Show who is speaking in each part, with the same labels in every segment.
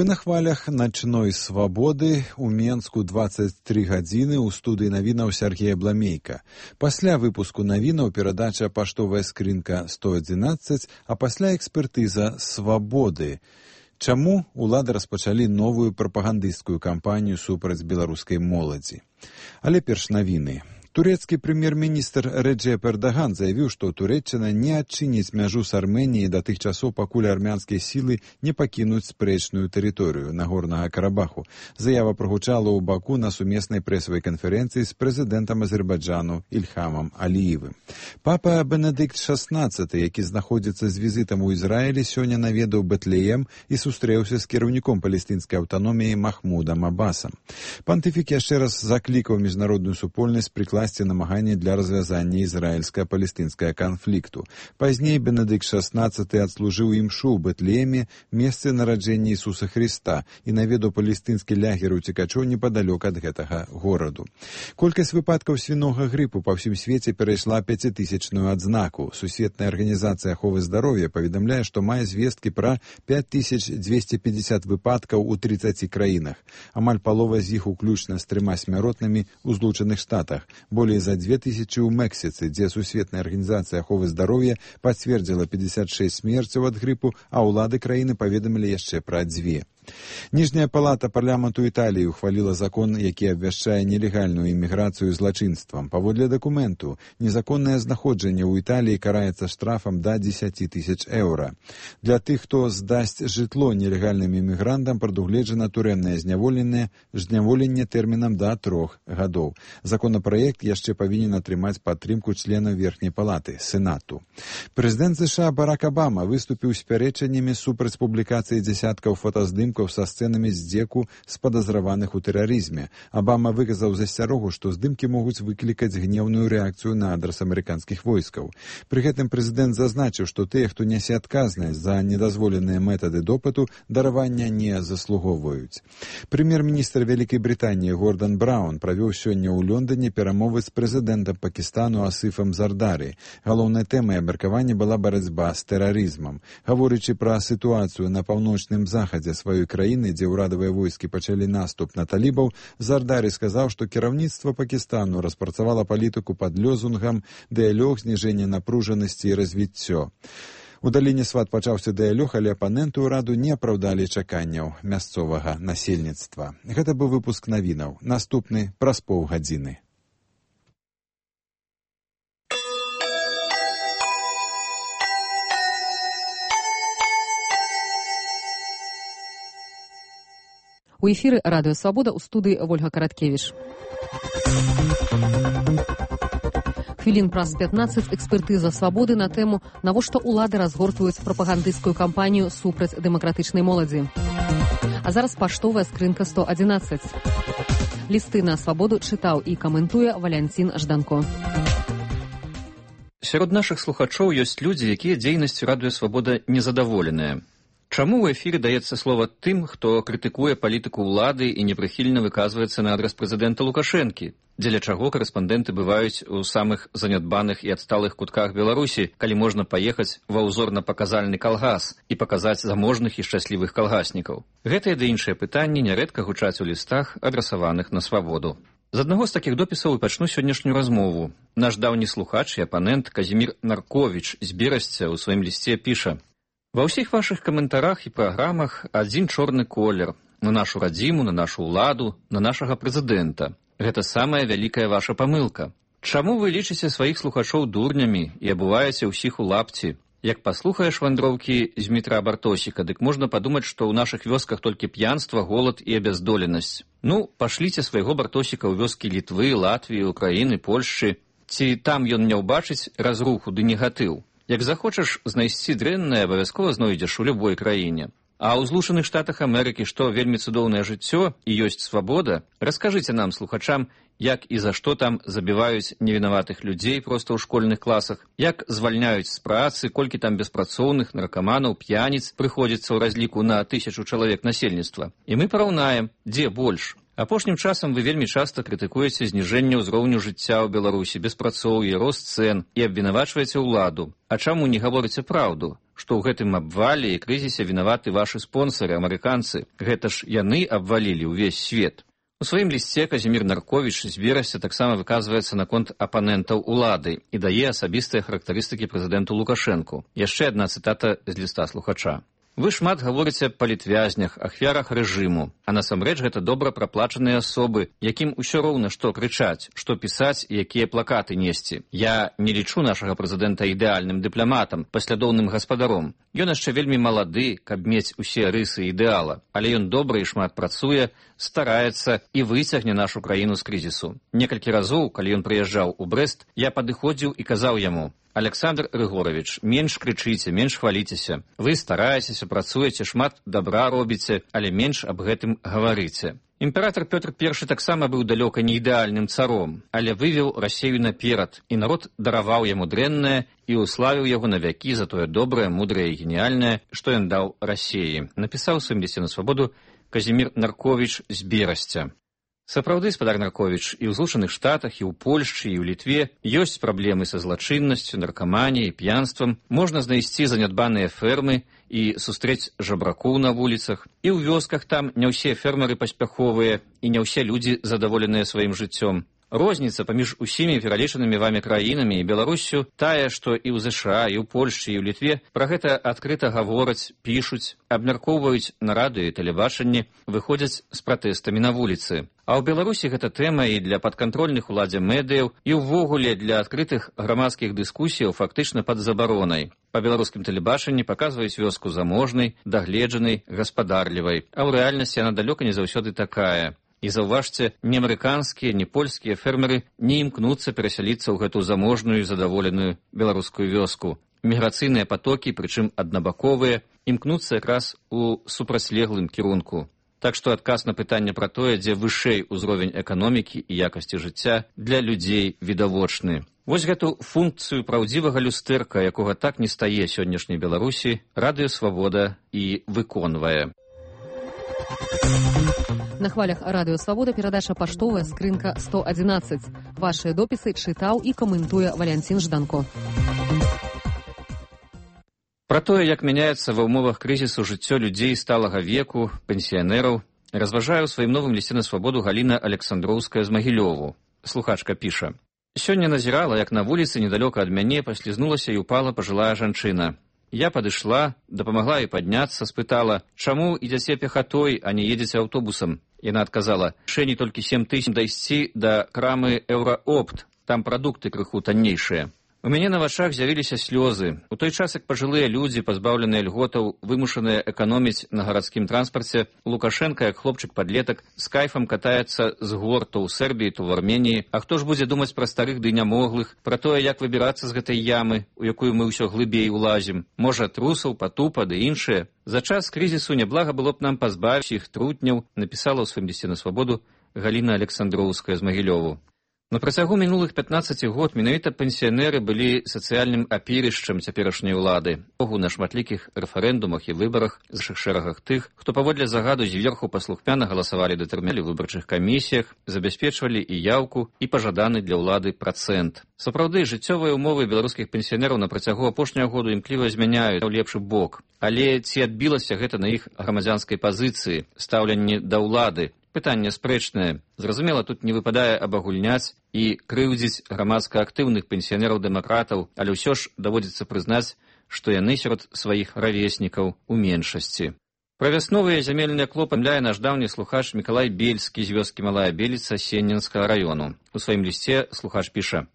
Speaker 1: на хвалях начной свабоды у Менску 23 гадзіны ў студыі навінаў Сергея Бламейка. Пасля выпуску навінаў перадача «Паштовая скрынка 111», а пасля экспертыза «Свабоды». Чаму улады распачалі новую прапагандысцкую кампанію супраць беларускай моладзі? Але перш навіны. Турэцкі прэм'ер-міністр Рэджэп Эрдаган заявіў, што Турэччына не адчыніць мяжу з Арменіяй да тых часоў, пакуль армянскія сілы не пакінуць спрэчную тэрыторыю Нагорнага Карабаху. Заява прагучала ў Баку на сумеснай прэсавай канферэнцыі з прэзідэнтам Азербайджану Ільхамам Аліевым. Папа Бенедыкт XVI, які знаходзіцца з візітам у Ізраілі, сёння наведаў Бэтлеем і сустрэўся з кіраўніком палестынскай аўтаноміі Махмудам Аббасам. Пантыфік яшчэ раз заклікаў міжнародную супольнасць прыкласці намаганні для развязання ізраільска-палестынскага канфлікту. Пазней Бенедыкт XVI адслужыў імшу ў Бэтлееме, месцы нараджэння Ісуса Хрыста, і наведаў палестынскі лягер уцекачоў непадалёк ад гэтага гораду. Колькасць выпадкаў свінога грыпу па ўсім свеце перайшла 5000-ную адзнаку. Сусветная арганізацыя аховы здароўя паведамляе, што мае звесткі пра 5250 выпадкаў у 30 краінах. Амаль палова з іх уключна з 3 смяротнымі ў Злучаных Штатах. Болей за 2000 у Мексіцы, дзе Сусветная арганізацыя аховы здароўя пацвердзіла 56 смерцяў ад грыпу, а ўлады краіны паведамілі яшчэ пра 2. Ніжняя палата парламенту Італіі ухваліла закон, які абвяшчае нелегальную іміграцыю злачынствам. Паводле дакументу, незаконнае знаходжанне ў Італіі караецца штрафам да 10 000 еўра. Для тых, хто здасць жытло нелегальным імігрантам, прадугледжана турэмнае зняволенне тэрмінам да 3 гадоў. Законапраект яшчэ павінен атрымаць падтрымку членаў верхняй палаты, Сенату. Прэзідэнт США Барак Абама выступіў з пярэчаннямі супраць публікацыі дзясяткаў фотаздымкаў са сцэнамі здзеку з падазраваных у тэрарызме. Абама выказаў засцярогу, што здымкі могуць выклікаць гневную рэакцыю на адрас амерыканскіх войскаў. Пры гэтым прэзідэнт зазначыў, што тыя, хто нясе адказнасць за недазволеныя метады допыту, даравання не заслугоўваюць. Прэм'ер-міністр Вялікай Брытаніі Гордан Браўн правёў сёння ў Лондоне перамовы з прэзідэнтам Пакістану Асыфам Зардары. Галоўнай тэмай абмеркавання была барацьба з тэрарызмам. Гаворачы пра сітуацыю на паўночным захадзе сваёй краіны, дзе ўрадавыя войскі пачалі наступ на талібаў, Зардары сказаў, што кіраўніцтва Пакістану распрацавала палітыку пад лозунгам «Дыялог, зніжэнне напружанасці і развіццё». У даліне Сват пачаўся дыялог, але апаненты ўраду не апраўдалі чаканняў мясцовага насельніцтва. Гэта быў выпуск навінаў. Наступны праз паўгадзіны.
Speaker 2: У эфіры Радыё Свабода, у студыі Вольга Караткевіч. Хвілін праз 15 экспертыза «Свабоды» на тэму «Навошта ўлады разгортваюць прапагандысцкую кампанію супраць дэмакратычнай моладзі». А зараз паштовая скрынка 111. Лісты на «Свабоду» чытаў і каментуе Валянцін Жданко.
Speaker 3: Сярод нашых слухачоў ёсць людзі, якія дзейнасцю Радыё Свабода незадаволеныя. Чаму ў эфіры даецца слова тым, хто крытыкуе палітыку ўлады і непрыхільна выказваецца на адрас прэзідэнта Лукашэнкі? Дзеля чаго карэспандэнты бываюць у самых занядбаных і адсталых кутках Беларусі, калі можна паехаць ва ўзорна-паказальны калгас і паказаць заможных і шчаслівых калгаснікаў? Гэтыя ды іншыя пытанні нярэдка гучаць у лістах, адрасаваных на Свабоду. З аднаго з такіх допісаў і пачну сённяшнюю размову. Наш даўні слухач і апанент Казімір Нарковіч з Берасця ў сваім лісце піша: «Ва ўсіх вашых каментарах і праграмах адзін чорны колер на нашу радзіму, на нашу ўладу, на нашага прэзідэнта. Гэта самая вялікая ваша памылка. Чаму вы лічыце сваіх слухачоў дурнямі і абуваеце ўсіх у лапці? Як паслухаеш вандроўкі Змітра Бартосіка, дык можна падумаць, што ў нашых вёсках толькі п'янства, голад і абяздоленасць. Ну, пашліце свайго Бартосіка ў вёскі Літвы, Латвіі, Украіны, Польшчы. Ці там ён не ўбачыць разруху ды негатыў? Як захочаш знайсці дрэннае, абавязкова знойдзеш у любой краіне. А ў Злучаных Штатах Амерыкі, што вельмі цудоўнае жыццё і ёсць свабода, раскажыце нам, слухачам, як і за што там забіваюць невінаватых людзей проста ў школьных класах, як звальняюць з працы, колькі там беспрацоўных, наркаманаў, п'яніц прыходзіцца ў разліку на 1000 чалавек насельніцтва. І мы параўнаем, дзе больш. Апошнім часам вы вельмі часта крытыкуеце зніжэнне ўзроўню жыцця ў Беларусі, беспрацоўе, рост цэн і абвінавачваеце ўладу. А чаму не гаворыце праўду? што ў гэтым абвале і крызісе вінаваты вашы спонсары, амерыканцы. Гэта ж яны абвалілі ўвесь свет. У сваім лісце Казімір Нарковіч з верасня таксама выказваецца наконт апанентаў улады і дае асабістыя характарыстыкі прэзідэнту Лукашэнку. Яшчэ адна цытата з ліста слухача. Вы шмат гаворыце па палітвязнях, ахвярах рэжыму, а насамрэч гэта добра праплачаныя асобы, якім усё роўна што крычаць, што пісаць і якія плакаты несці. Я не лічу нашага прэзідэнта ідэальным дыпламатам, паслядоўным гаспадаром. Ён яшчэ вельмі малады, каб мець усе рысы ідэала, але ён добра і шмат працуе, стараецца і выцягне нашу краіну з крызісу. Некалькі разоў, калі ён прыязджаў у Брэст, я падыходзіў і казаў яму: Александр Рыгорович, менш крычыце, менш хваліцеся. Вы стараецеся, працуеце, шмат добра робіце, але менш аб гэтым гаварыце. Імператор Пётр I таксама быў далёка не ідэальным царом, але вывеў Расею наперад, і народ дараваў яму дрэннае і ўславіў яго на вякі за тое добрае, мудрае і геніяльнае, што ён даў Расеі. Напісаў у сваім лісце на свабоду Казімір Нарковіч з Берасця. Сапраўды, спадар Нарковіч, і ў Злучаных Штатах, і ў Польшчы, і ў Літве ёсць праблемы са злачыннасцю, наркаманіяй, п'янствам. Можна знайсці занядбаныя фермы і сустрэць жабракоў на вуліцах. І ў вёсках там не ўсе фермеры паспяховыя, і не ўсе людзі задаволеныя сваім жыццём. Розніца паміж усімі пералічанымі вамі краінамі і Беларуссю тая, што і ў ЗША, і ў Польшчы, і ў Літве пра гэта адкрыта гавораць, пішуць, абмяркоўваюць на радыё і тэлебачанні, выходзяць з пратэстамі на вуліцы. А ў Беларусі гэта тэма і для падкантрольных уладзе медыяў, і ўвогуле для адкрытых грамадскіх дыскусіяў фактычна пад забаронай. Па беларускім тэлебачанні паказваюць вёску заможнай, дагледжанай, гаспадарлівай, а ў рэальнасці яна далёка не заўсёды такая. І заўважце, ні амерыканскія, ні польскія фермеры не імкнуцца перасяліцца ў гэту заможную і задаволеную беларускую вёску. Міграцыйныя патокі, прычым аднабаковыя, імкнуцца якраз у супрацьлеглым кірунку. Так што адказ на пытанне пра тое, дзе вышэй узровень эканомікі і якасці жыцця, для людзей відавочны. Вось гэту функцыю праўдзівага люстэрка, якога так не стае сённяшняй Беларусі, Радыё Свабода і выконвае.
Speaker 2: На хвалях Радыё Свабода перадача «Паштовая скрынка 111». Вашыя допісы чытаў і каментуе Валянцін Жданко.
Speaker 3: Пра тое, як мяняецца ва ўмовах крызісу жыццё людзей сталага веку, пенсіянераў, разважае ў сваім новым лісце на свабоду Галіна Александроўская з Магілёву. Слухачка піша: «Сёння назірала, як на вуліцы недалёка ад мяне паслізнулася і упала пажылая жанчына. Я падышла, дапамагла ёй падняцца, спытала: чаму ідзяце пехатой, а не едзеце аўтобусам? Яна адказала: шэні толькі 7 000 дайсці да крамы Еўраопт, там прадукты крыху таннейшыя. У мяне на вачах з'явіліся слёзы. У той час, як пажылыя людзі, пазбаўленыя льготаў, вымушаныя эканоміць на гарадскім транспарце, Лукашенка, як хлопчык-падлетак, з кайфам катаецца з гор то ў Сербіі, то ў Арменіі. А хто ж будзе думаць пра старых ды нямоглых, пра тое, як выбірацца з гэтай ямы, у якую мы ўсё глыбей улазім? Можа, трусаў, патупа ды іншыя? За час крызісу няблага было б нам пазбавіць іх трутняў, напісала ў сваім лісце на свабоду Галіна Александроўская з Магілёву. На працягу мінулых 15 год менавіта пенсіянеры былі сацыяльным апірышчам цяперашняй улады. Богу на шматлікіх рэферэндумах і выбарах з нашых шэрагах тых, хто паводле загаду зверху паслухмяна галасавалі датэрміналі ў выбарчых камісіях, забяспечвалі і яўку, і пажаданы для ўлады працэнт. Сапраўды, жыццёвыя ўмовы беларускіх пенсіянераў на працягу апошняга году імкліва змяняюць ў лепшы бок. Але ці адбілася гэта на іх грамадзянскай пазіцыі, стаўленні да ўлады? Пытанне спрэчнае. Зразумела, тут не выпадае абагульняць і крыўдзіць грамадска актыўных пенсіянераў-дэмакратаў, але ўсё ж даводзіцца прызнаць, што яны сярод сваіх равеснікаў у меншасці. Пра вясновыя зямельныя клопы памятае наш даўні слухач Мікалай Бельскі з вёскі Малая Беліца Сенненскага раёну. У сваім лісце слухач піша: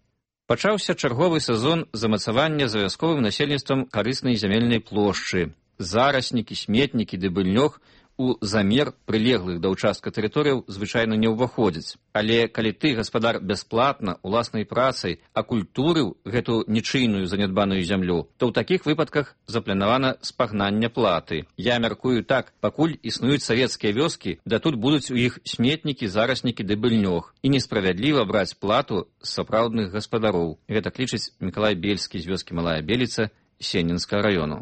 Speaker 3: «Пачаўся чарговы сезон замацавання за вясковым насельніцтвам карыснай зямельнай плошчы. Зараснікі, сметнікі ды быльнёг у замер прылеглых да ўчастка тэрыторыяў звычайна не ўваходзяць. Але калі ты, гаспадар, бясплатна, уласнай працай акультурыў гэту нічыйную занядбаную зямлю, то ў такіх выпадках запланавана спагнанне платы. Я мяркую так, пакуль існуюць савецкія вёскі, да тут будуць у іх сметнікі, зараснікі ды быльнёг. І несправядліва браць плату з сапраўдных гаспадароў». Гэта лічыць Мікалай Бельскі з вёскі Малая Беліца Сенненскага раёну.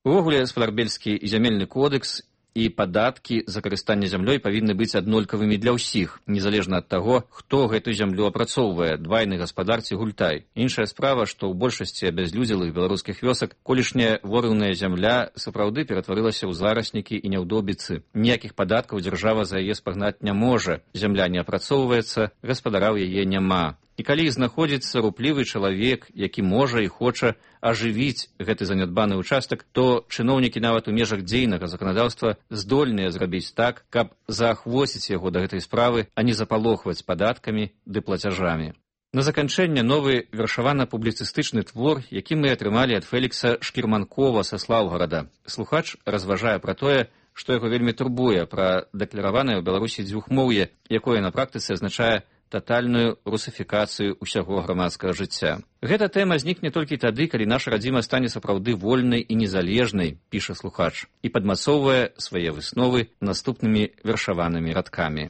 Speaker 3: Увогуле, спадар Бельскі і зямельны кодекс і падаткі за карыстанне зямлёй павінны быць аднолькавымі для ўсіх, незалежна ад таго, хто гэту зямлю апрацоўвае, двайны гаспадар ці гультай. Іншая справа, што ў большасці абязлюдзелых беларускіх вёсак колішняя ворыўная зямля сапраўды ператварылася ў зараснікі і няўдобіцы. Ніякіх падаткаў дзяржава за яе спагнаць не можа, зямля не апрацоўваецца, гаспадара ў яе няма. І калі знаходзіцца руплівы чалавек, які можа і хоча ажывіць гэты занядбаны ўчастак, то чыноўнікі нават у межах дзейнага заканадаўства здольныя зрабіць так, каб заахвоціць яго да гэтай справы, а не запалохваць падаткамі ды плацяжамі. На заканчэнне новы вершавана-публіцыстычны твор, які мы атрымалі ад Фелікса Шкірманкова са Слаўгарада. Слухач разважае пра тое, што яго вельмі турбуе пра дэклараванае ў Беларусі дзвюхмоўе, якое на практыцы азначае татальную русафікацыю ўсяго грамадскага жыцця. Гэта тэма знікне толькі тады, калі наша радзіма стане сапраўды вольнай і незалежнай, піша слухач, і падмацоўвае свае высновы наступнымі вершаванымі радкамі.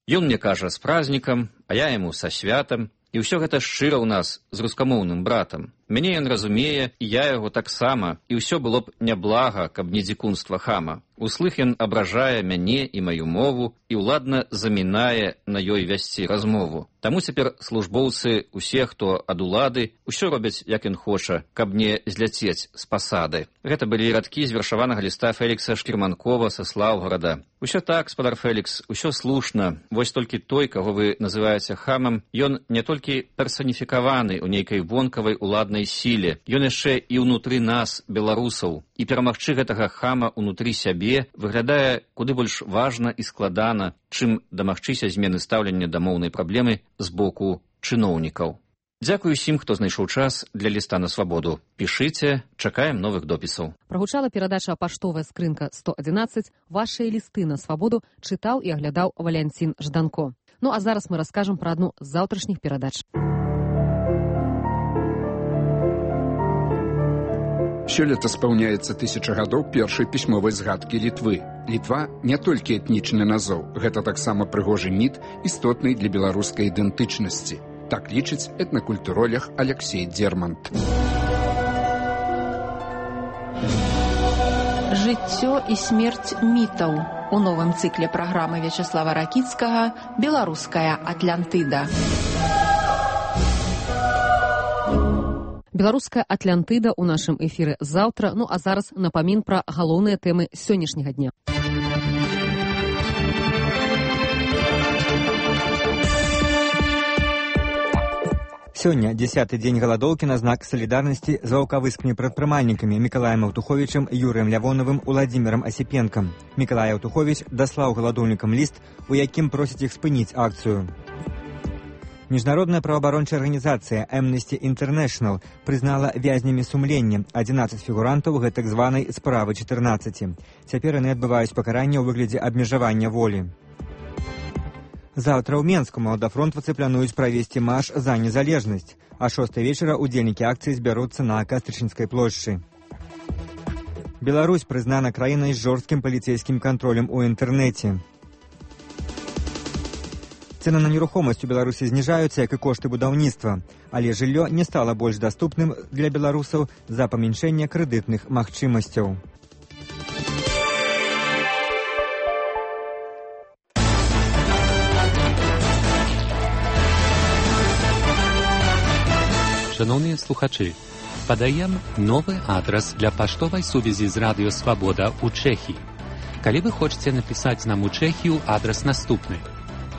Speaker 3: Ён мне кажа з празднікам, а я яму са святам, і ўсё гэта шчыра ў нас з рускамоўным братам. Мяне ён разумее, і я яго таксама, і ўсё было б няблага, каб не дзікунства хама. Услых ён абражае мяне і маю мову і ўладна замінае на ёй вясці размову. Таму цяпер службоўцы, усе, хто ад улады, усё робяць, як ён хоча, каб не зляцець з пасады. Гэта былі радкі з вершаванага ліста Фелікса Шкірманкова са Слаўгарада. Усё так, спадар Фелікс, усё слушна. Вось толькі той, каго вы называеце хамам, ён не толькі персаніфікаваны ў нейкай вонкавай уладнай сіле, ён яшчэ і ўнутры нас, беларусаў. І перамагчы гэтага хама ўнутры сябе выглядае куды больш важна і складана, чым дамагчыся змены стаўлення да моўнай праблемы з боку чыноўнікаў. Дзякую усім, хто знайшоў час для ліста на свабоду. Пішыце, чакаем новых допісаў.
Speaker 2: Прагучала перадача «Паштовая скрынка 111». Вашыя лісты на свабоду чытаў і аглядаў Валянцін Жданко. Ну а зараз мы раскажам пра адну з заўтрашніх перадач.
Speaker 4: Сёлета спаўняецца 1000 гадоў першай пісьмовай згадкі Літвы. Літва не толькі этнічны назоў, гэта таксама прыгожы міт, істотны для беларускай ідэнтычнасці. Так лічыць этнакультуролог Алексей Дзермант.
Speaker 5: Жыццё і смерць мітаў. У новым цыкле праграмы Вячаслава Ракіцкага «Беларуская Атлантыда».
Speaker 2: Беларуская Атлантыда ў нашым эфіры заўтра, ну а зараз напамін пра галоўныя тэмы сённяшняга дня.
Speaker 6: Сёння 10-й дзень галадоўкі на знак салідарнасці з ваўкавыскімі прадпрымальнікамі Мікалаем Аўтуховічам, Юрыем Лявоновым, Уладзімірам Асіпенкам. Мікалай Аўтуховіч даслаў галадоўнікам ліст, у якім просіць іх спыніць акцыю. Міжнародная праваабарончая арганізацыя Amnesty International прызнала вязнямі сумлення 11 фігурантаў гэтак званай справы 14. Цяпер яны адбываюць пакаранне ў выглядзе абмежавання волі. Заўтра ў Менску маладафронтвацы плануюць правесці марш за незалежнасць, а 6 вечара удзельнікі акцыі збяруцца на Кастрычніцкай плошчы. Беларусь прызнана краінай з жорсткім паліцэйскім кантролем у інтэрнэце. Цэны на нерухомасць у Беларусі зніжаюцца, як і кошты будаўніцтва, але жыллё не стала больш даступным для беларусаў з-за памяншэння крэдытных магчымасцяў.
Speaker 7: Шановні слухачі, падаем новы адрас для паштовай сувязі з Радыё Свабода ў Чэхіі. Калі вы хочаце напісаць нам у Чэхію, адрас наступны.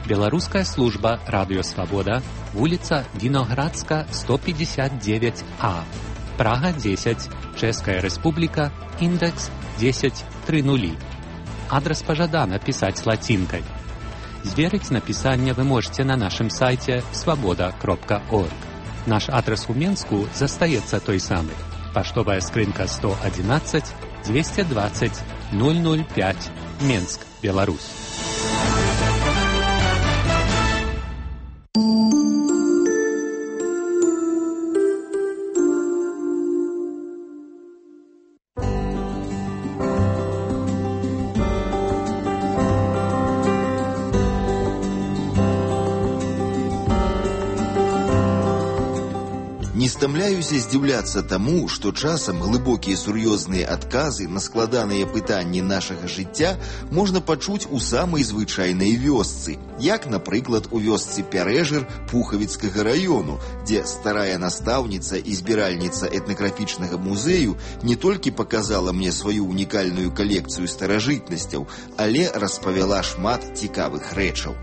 Speaker 7: Беларуская служба Радыё Свабода, вуліца Віноградска, 159А, Прага 10, Чэшская Рэспубліка, індекс 1030. Адрас пажадана пісаць лацінкай. Зверыць напісанне вы можете на нашым сайце свабода.орг. Наш адрас у Менску застаецца той самы. Паштовая скрынка 111 220 005, Менск, Беларусь.
Speaker 8: Не стамляюся здзіўляцца таму, што часам глыбокія сур'ёзныя адказы на складаныя пытанні нашага жыцця можна пачуць у самай звычайнай вёсцы, як, напрыклад, у вёсцы Пярэжыр Пухавіцкага раёну, дзе старая настаўніца і збіральніца этнаграфічнага музею не толькі паказала мне сваю унікальную калекцыю старажытнасцяў, але распавяла шмат цікавых рэчаў.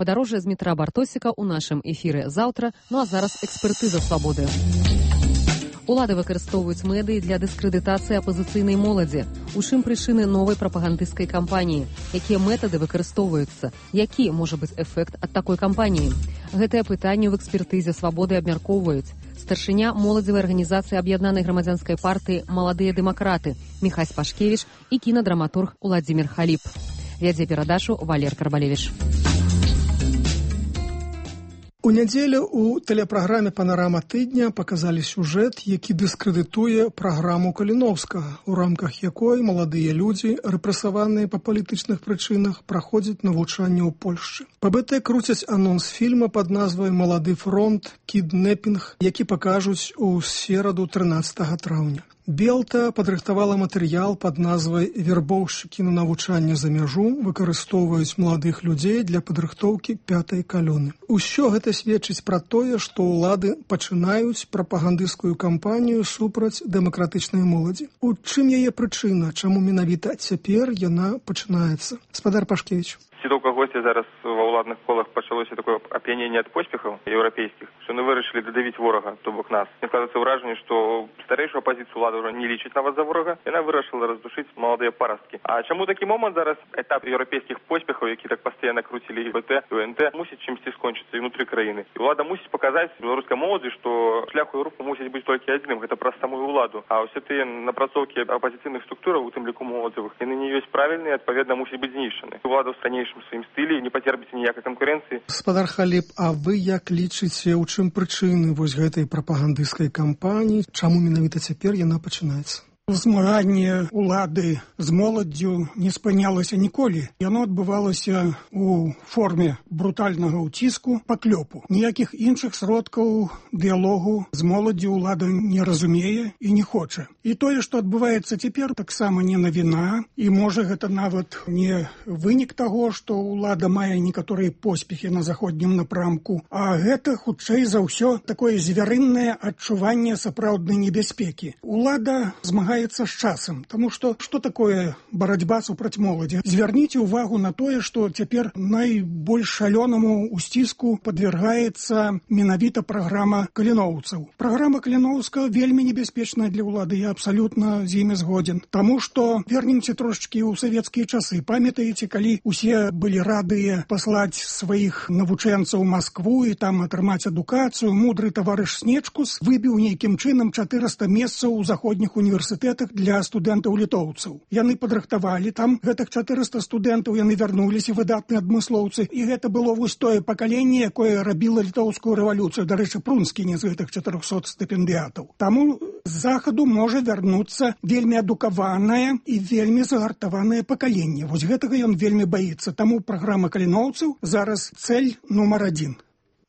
Speaker 2: Падарожжа з Дмітра Бартосіка ў нашым эфіры заўтра, ну а зараз экспертыза свабоды. Улады выкарыстоўваюць медыі для дыскрэдытацыі апазіцыйнай моладзі. У чым прычыны новай прапагандысцкай кампаніі? Якія метады выкарыстоўваюцца? Які можа быць эфект ад такой кампаніі? Гэтае пытанне ў экспертызе свабоды абмяркоўваюць старшыня моладзевай арганізацыі аб'яднанай грамадзянскай партыі «Маладыя дэмакраты» Міхась Пашкевіч і кінадраматург Уладзімір Халіп. Вядзе перадачу Валер Карбалевіч.
Speaker 9: У нядзелю у тэлепраграме «Панарама тыдня» паказалі сюжэт, які дыскрэдытуе праграму Каліноўскага, у рамках якой маладыя людзі, рэпрэсаваныя па палітычных прычынах, праходзяць навучанне ў Польшчы. ПБТ круцяць анонс фільма пад назвай «Малады фронт. Кіднепінг», які пакажуць у сераду 13 траўня. Белта падрыхтавала матэрыял пад назвай «Вербоўшчыкі на навучанне за мяжу выкарыстоўваюць маладых людзей для падрыхтоўкі 5-й калоны». Усё гэта сведчыць пра тое, што ўлады пачынаюць прапагандысцкую кампанію супраць дэмакратычнай моладзі. У чым яе прычына, чаму менавіта цяпер яна пачынаецца? Спадар Пашкевіч.
Speaker 10: Ці до кагосьці зараз ва ўладных колах пачалося такое ап'яненне ад поспехаў еўрапейскіх, што яны вырашылі дадавіць ворага, то бок нас. Мне складаецца ўражанне, што старэйшую апазіцыю ўлада ўжо не лічыць нават за ворага, яна вырашыла раздушыць маладыя парасткі. А чаму такі момант зараз этап еўрапейскіх поспехаў, які так пастаянна круцілі і БТ, і УНТ, мусіць чымсьці скончыцца і ўнутры краіны. І ўлада мусіць паказаць беларускай моладзі, што шлях у Еўропу мусіць быць толькі адзіным, гэта праз самую ўладу. А ўсе тыя напрацоўкі апазіцыйных структураў, у тым ліку моладзевых, яны не ёсць правільныя, адпаведна мусіць быць знішчаны. Улада ў ранейшым сваім стылі не пацерпіць ніякай канкурэнцыі.
Speaker 9: Спадар Халіп, а вы як лічыце, у чым прычыны вось гэтай прапагандысцкай кампаніі? Чаму менавіта цяпер яна пачынаецца?
Speaker 11: Змаганне улады з моладдзю не спынялася ніколі. Яно адбывалася у форме брутальнага ўціску, паклёпу. Ніякіх іншых сродкаў дыялогу з моладдзю ўлада не разумее і не хоча. І тое, што адбываецца цяпер, таксама не навіна, і можа гэта нават не вынік таго, што ўлада мае некаторыя поспехі на заходнім напрамку, а гэта, хутчэй за ўсё, такое звярыннае адчуванне сапраўднай небяспекі. Улада змагаецца з часам, таму што такое барацьба супраць моладзі? Звярніце ўвагу на тое, што цяпер найбольш шалёнаму ўсціску падвергаецца менавіта праграма каліноўцаў. Праграма Каліноўскага вельмі небяспечная для ўлады, я абсалютна з імі згодзін. Таму што вернемся трошачкі ў савецкія часы. Памятаеце, калі усе былі радыя паслаць сваіх навучэнцаў у Маскву і там атрымаць адукацыю, мудры таварыш Снечкус выбіў нейкім чынам 400 месцаў у заходніх універсітэтах для студэнтаў-літоўцаў. Яны падрыхтавалі там гэтых 400 студэнтаў, яны вярнуліся, выдатныя адмыслоўцы, і гэта было вось тое пакаленне, якое рабіла літоўскую рэвалюцыю. Дарэчы, Прунскі не з гэтых 400 стыпендыятаў. Таму з захаду можа вярнуцца вельмі адукаванае і вельмі загартаванае пакаленне. Вось гэтага ён вельмі баіцца. Таму праграма каліноўцаў зараз цэль нумар 1.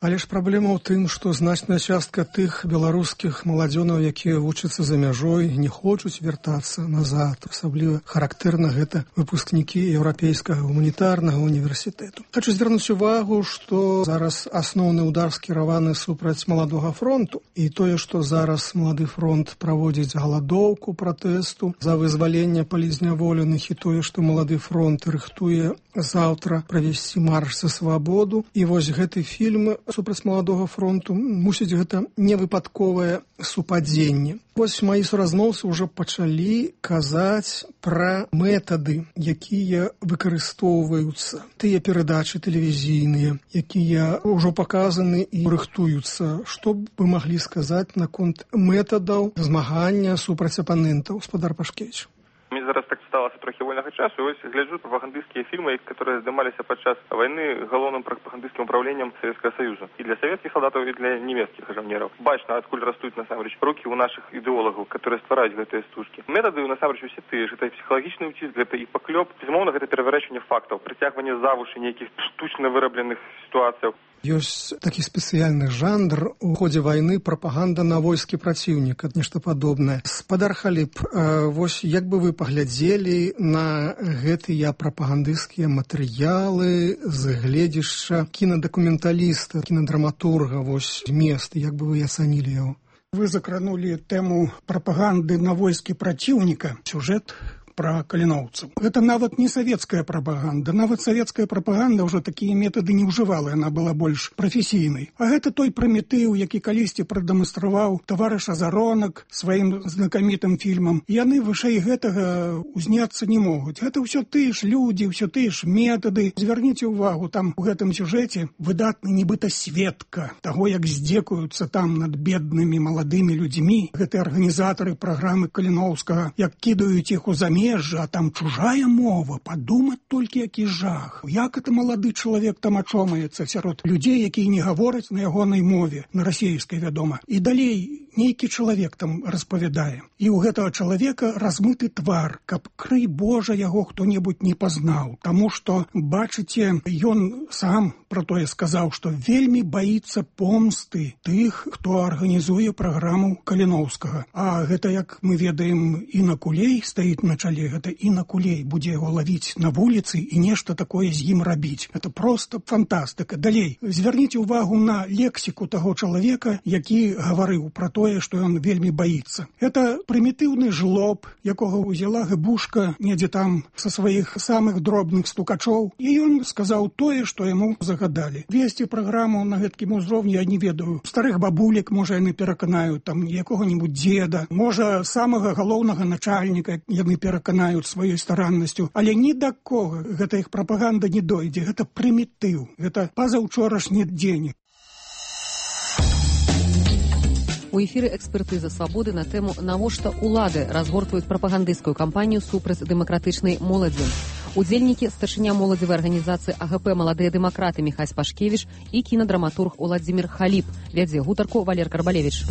Speaker 9: Але ж праблема ў тым, што значная частка тых беларускіх маладзёнаў, якія вучацца за мяжой, не хочуць вяртацца назад. Асабліва характэрна гэта выпускнікі еўрапейскага гуманітарнага універсітэту. Хочу звярнуць увагу, што зараз асноўны удар скіраваны супраць маладога фронту. І тое, што зараз малады фронт праводзіць галадоўку пратэсту за вызваленне палізняволеных, і тое, што малады фронт рыхтуе заўтра правесці марш за свабоду. І вось гэты фільм супраць маладога фронту, мусіць, гэта невыпадковае супадзенне. Вось мои суразмоўцы ўжо пачалі казаць пра метады, якія выкарыстоўваюцца. Тыя перадачы тэлевізійныя, якія ўжо паказаны і рыхтуюцца. Што б вы маглі сказаць наконт метадаў змагання супраць апанентаў, спадар Пашкевіч?
Speaker 10: Мне зараз так сталася трохи вольнага часу, і ось гляджу прапагандысцкія фільмы, которые здымаліся падчас войны галоўным прапагандысцкім управленнем Советского Союза. І для советских солдатаў, і для немецких жаўнераў. Бачна, адкуль растуць, насамрэч, рукі ў наших ідэолагаў, которые ствараюць гэтыя стужкі. Метады, насамрэч, усе тыя ж. Гэта псіхалагічны ўціск, гэта і паклёп. Безумоўна, гэта пераварочванне фактаў, прыцягванне за вушы нейкіх штучна вырабленых сітуацыяў.
Speaker 9: Ёсць такі спецыяльны жанр у ходзе вайны прапаганда на войскі праціўніка, нешта падобнае. Спадар Халіп, вось як бы вы паглядзелі на гэтыя прапагандысцкія матэрыялы з гледзяшча кінадакументаліста, кінадраматурга, вось змест, як бы вы ацанілі яго?
Speaker 11: Вы закранули тему прапаганды на войскі праціўніка. Сюжет про каліноўцаў. Это нават не савецкая прапаганда. Нават савецкая прапаганда ўжо такія метады не ўжывала, яна была больш прафесійнай. А гэта той Праметыў, які калісьці прадэманстраваў таварыш Азаронак сваім знакамітым фільмам. Яны вышэй гэтага узняцца не могуць. Гэта ўсё тыя ж людзі, ўсё тыя ж метады. Звярніце ўвагу, там у гэтым сюжэце выдатны нібыта сведка таго, як здзекуюцца там над беднымі маладымі людзьмі. Гэтыя арганізатары праграмы Каліноўскага, як кідаюць іх у замежжа, а там чужая мова, падумаць толькі які жах. Як это малады чалавек там ачомаецца сярод людзей, якія не гавораць на ягонай мове, на расейскай, вядома. І далей нейкі чалавек там распавядае. І ў гэтага чалавека размыты твар, каб, крый Божа, яго хто-небудзь не пазнаў. Таму што, бачыце, ён сам про тое сказаў, што вельмі баіцца помсты тых, хто арганізуе праграму Каліноўскага. А гэта, як мы ведаем, Інна Кулей стаіць на чале, гэта Інна Кулей будзе яго лавіць на вуліцы і нешта такое з ім рабіць. Это просто фантастыка. Далей, звярніце ўвагу на лексіку таго чалавека, які гаварыў пра тое, што ён вельмі баіцца. Это прымітыўны жлоб, якога ўзяла гыбушка недзе там са сваіх самых дробных стукачоў, і ён сказаў тое, што яму загадалі. Весці праграму на гэткім узроўні я не ведаю. Старых бабулек, можа, яны пераканаюць, там, якога-нибудь дзеда, можа, самага галоўнага начальніка яны пераканаюць сваёй стараннасцю, але ні да кога гэта іх прапаганда не дойдзе. Гэта прымітыў, гэта пазаўчорашні дзень.
Speaker 2: У эфіры экспертыза свабоды на тэму «Навошта улады разгортваюць прапагандысцкую кампанію супраць дэмакратычнай моладзі». Удзельнікі старшыня моладзевай арганізацыі АГП «Маладыя дэмакраты» Міхась Пашкевіч і кінадраматург Уладзімір Халіп. Вядзе гутарку Валер Карбалевіч.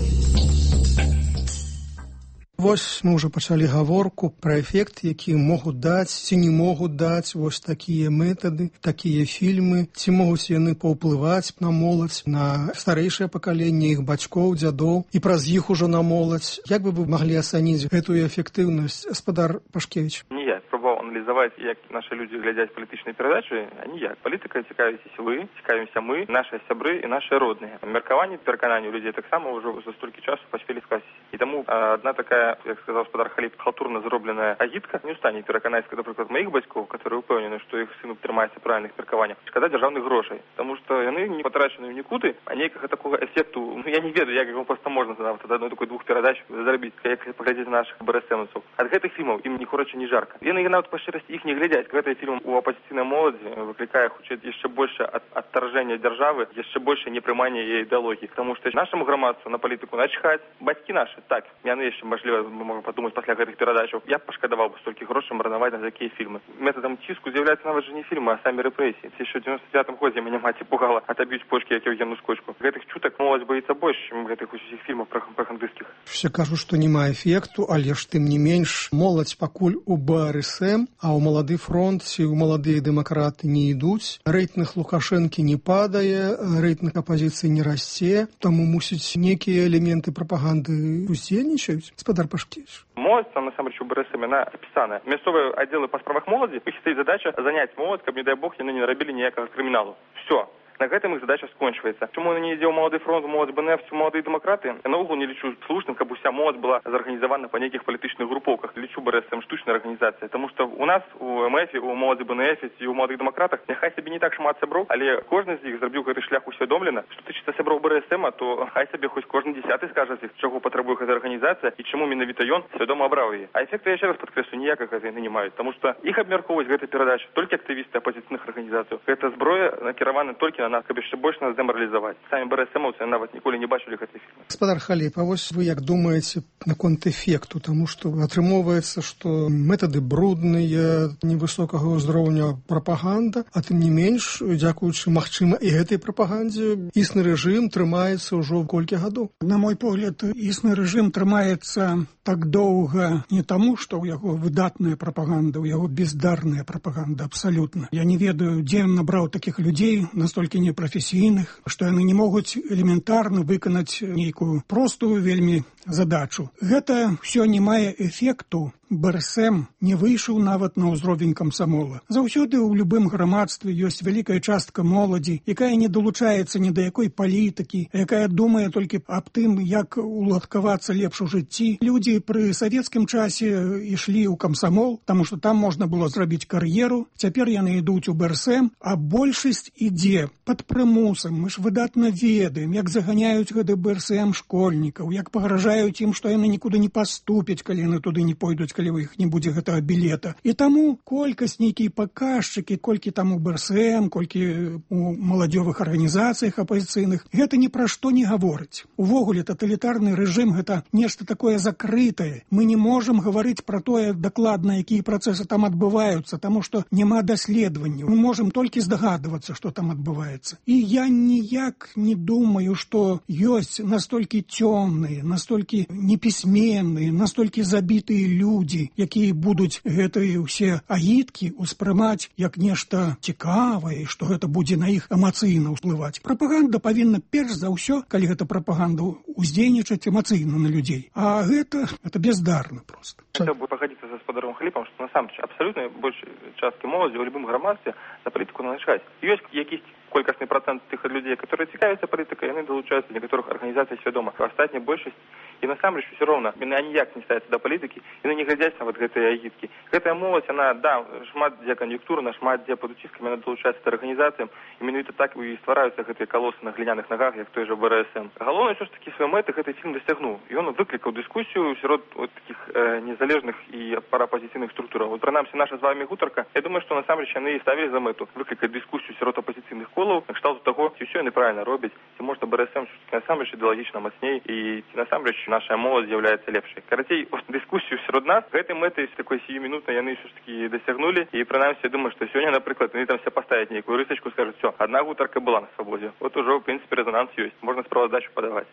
Speaker 9: Вось мы ўжо пачалі гаворку пра эфект, які могуць даць ці не могуць даць вось такія метады, такія фільмы, ці могуць яны паўплываць на моладзь, на старэйшае пакаленне іх бацькоў, дзядоў і праз іх ужо на моладзь. Як бы вы маглі ацаніць гэтую эфектыўнасць, спадар Пашкевіч?
Speaker 10: Ніяк. Пробував аналізувати, як наші люди глядять політичні передачі, а ніяк. Політика цікавитесь ви, цікавимося ми, наші сябри і наші родні. Міркування, переконання у людей так само вже за стільки часу поспіли скласти. І тому одна така, як сказав спадар Халіп, халтурно зроблена агітка не устане переконати, наприклад, моїх батьків, які впевнені, що їх син тримається в правильних міркуваннях, шкода державних грошей. Тому що вони не потрачені в нікуди, а ніякого такого ефекту, я не ведаю, як його просто можна за одну таку двох передач заробити, як поглядіти наших БРСМовців. От гэтых фільмів їм ні коротше, ні жарко. Вони навіть по щирості їх не глядять. Гэтый фільм у опозиційної молоді викликає ще більше отторження держави, ще більше неприймання її ідеології. Тому що нашому громадству на політику начхать. Батьки наші, так, яны ще, можливо, можемо подумати після гэтых передач. Я б пошкодував би стільки грошей марнувати на такі фільми. Методом тиску з'являються навіть же не фільми, а самі репресії. Це ще в 99-му годі мене мать пугала, отоб'ють почки, як Євгену Скочку. Гэтых чуток молодь боїться більше, ніж гэтых усіх фільмів пропагандистських.
Speaker 9: Все кажуть, що немає ефекту, але ж тим не менш, молодь пакуль у БРСМ, а у Молоды фронт ці у Маладыя дэмакраты не ідуць. Рэйтынг Лукашэнкі не падае, рэйтынг апазіцыі не расце, таму мусіць нейкія элементы прапаганды уздзейнічаюць. Спадар Пашкевіч.
Speaker 10: Молодь, там, насамрэч, у БРСМ, она описана. Мясцовыя аддзелы па справах моладзі, іх стаіць задача заняць моладзь, каб, не дай бог, яны не нарабілі ніякага крыміналу. Все. На гэтым іх задача скончваецца. Чому не ідзе ў Малады фронт, Молодь БНФ, ці Маладыя дэмакраты? Я наогул не лічу слушным, каб уся моладзь была зарганізавана па нейкіх палітычных групоўках. Лічу БРСМ штучная арганізацыя, тому што у нас у МФ, у Маладзі БНФ і у Маладых дэмакратах няхай сабе не так шмат сяброў, але кожны з іх зрабіў гэты шлях усвядомлена. Што тычыцца сяброў БРСМ, то хай сабе хоць кожны 10-ы скажа з іх, чаго патрабуе гэта арганізацыя і чаму менавіта ён свядома абраў яе. А эфекты, я яшчэ раз падкрэслю, ніякага яны не маюць, таму што іх абмяркоўваюць гэтай перадачы толькі актывісты апозіцыйных арганізацый. Гэта зброя накіравана толькі на нас, каб яшчэ больш нас дэмаралізаваць. Самі БРСМаўцы нават ніколі не бачылі гэтай фільмы.
Speaker 9: Гаспадар Халіп, а вось вы як думаеце наконт эфекту, таму што атрымоўваецца, што метады брудныя, невысокага ўзроўня прапаганда, а тым не менш, дзякуючы, магчыма, і гэтай прапагандзе існы рэжым трымаецца ўжо колькі гадоў.
Speaker 11: На мой погляд, існы рэжым трымаецца так доўга не таму, што ў яго выдатная прапаганда, у яго бездарная прапаганда, абсалютна. Я не ведаю, дзе ён набраў такіх людзей, настолькі непрафесійных, што яны не могуць элементарна выканаць нейкую простую вельмі задачу. Гэта ўсё не мае эфекту. БРСМ не выйшаў нават на ўзровень камсамола. Заўсёды ў любым грамадстве ёсць вялікая частка моладзі, якая не далучаецца ні да якой палітыкі, якая думае толькі аб тым, як уладкавацца лепш у жыцці. Людзі пры савецкім часе ішлі ў камсамол, таму што там можна было зрабіць кар'еру. Цяпер яны ідуць у БРСМ, а большасць ідзе пад прымусам. Мы ж выдатна ведаем, як заганяюць гэты БРСМ школьнікаў, як пагражаюць ім, што яны нікуды не паступяць, калі яны туды не пойдуць, калі у іх не будзе гэтага білета. І таму колькасць нейкія паказчыкі, колькі там у БРСМ, колькі у маладзёвых арганізацыях апазіцыйных, гэта ні пра што не гаворыць. Увогуле, таталітарны рэжым гэта нешта такое закрытае. Мы не можам гаварыць пра тое дакладна, якія працэсы там адбываюцца, таму што няма даследаванняў. Мы можам толькі здагадвацца, што там адбываецца. І я ніяк не думаю, што ёсць настолькі цёмныя, настолькі непісьменныя, настолькі забітыя людзі, якія будуць гэтыя ўсе агіткі ўспрымаць як нешта цікавае, што гэта будзе на іх эмацыйна ўплываць. Прапаганда павінна перш за ўсё, калі гэта прапаганда, уздзейнічаць эмацыйна на людзей. А гэта бездарна проста.
Speaker 10: Хотел бы погодиться с господаром Халипом, что на самом деле абсолютно большей частки молоді в любом громадстве на політику належать. Есть якісь колькасний процент тих людей, которые цікавляться політикою, вони долучаються, для которых организация свідома. Остатня большасць, і насамрэч все равно, яны ніяк не ставяцца да палітыкі, яны не глядзяць на вот гэтыя агіткі. Гэтая моладзь, она, да, шмат дзе кан'юнктурна, шмат дзе пад уціскамі, яна долучаецца да арганізацыям, і менавіта так і ствараюцца гэтыя калосы на гліняных нагах, як той жа БРСМ. Галоўнае, ўсё ж такі свае мэты гэты фільм дасягнуў. І ён выклікаў дыскусію сярод вот таких незалежных і параапазіцыйных структураў. Вот прынамсі наша з вами гутарка, я думаю, што насамрэч яны ставілі за мэту выклікаць дыскусію сярод апазіцыйных колаў, на кшталту таго, ці ўсё яны правільна робяць, ці можна БРСМ насамрэч ідэалагічна мацней, і ці насамрэч наша моладзь з'яўляецца лепшай. Карацей, дыскусію сярод нас гэтай мэты такой сіюмінутнай яны ўсё ж такі дасягнулі, і прынамсі я думаю, што сёння, напрыклад, яны там себе паставяць нейкую рысачку, скажуць, всё, адна гутарка была на свабодзе. Вот ужо, в прынцыпе, рэзананс ёсць. Можна справаздачу падаваць.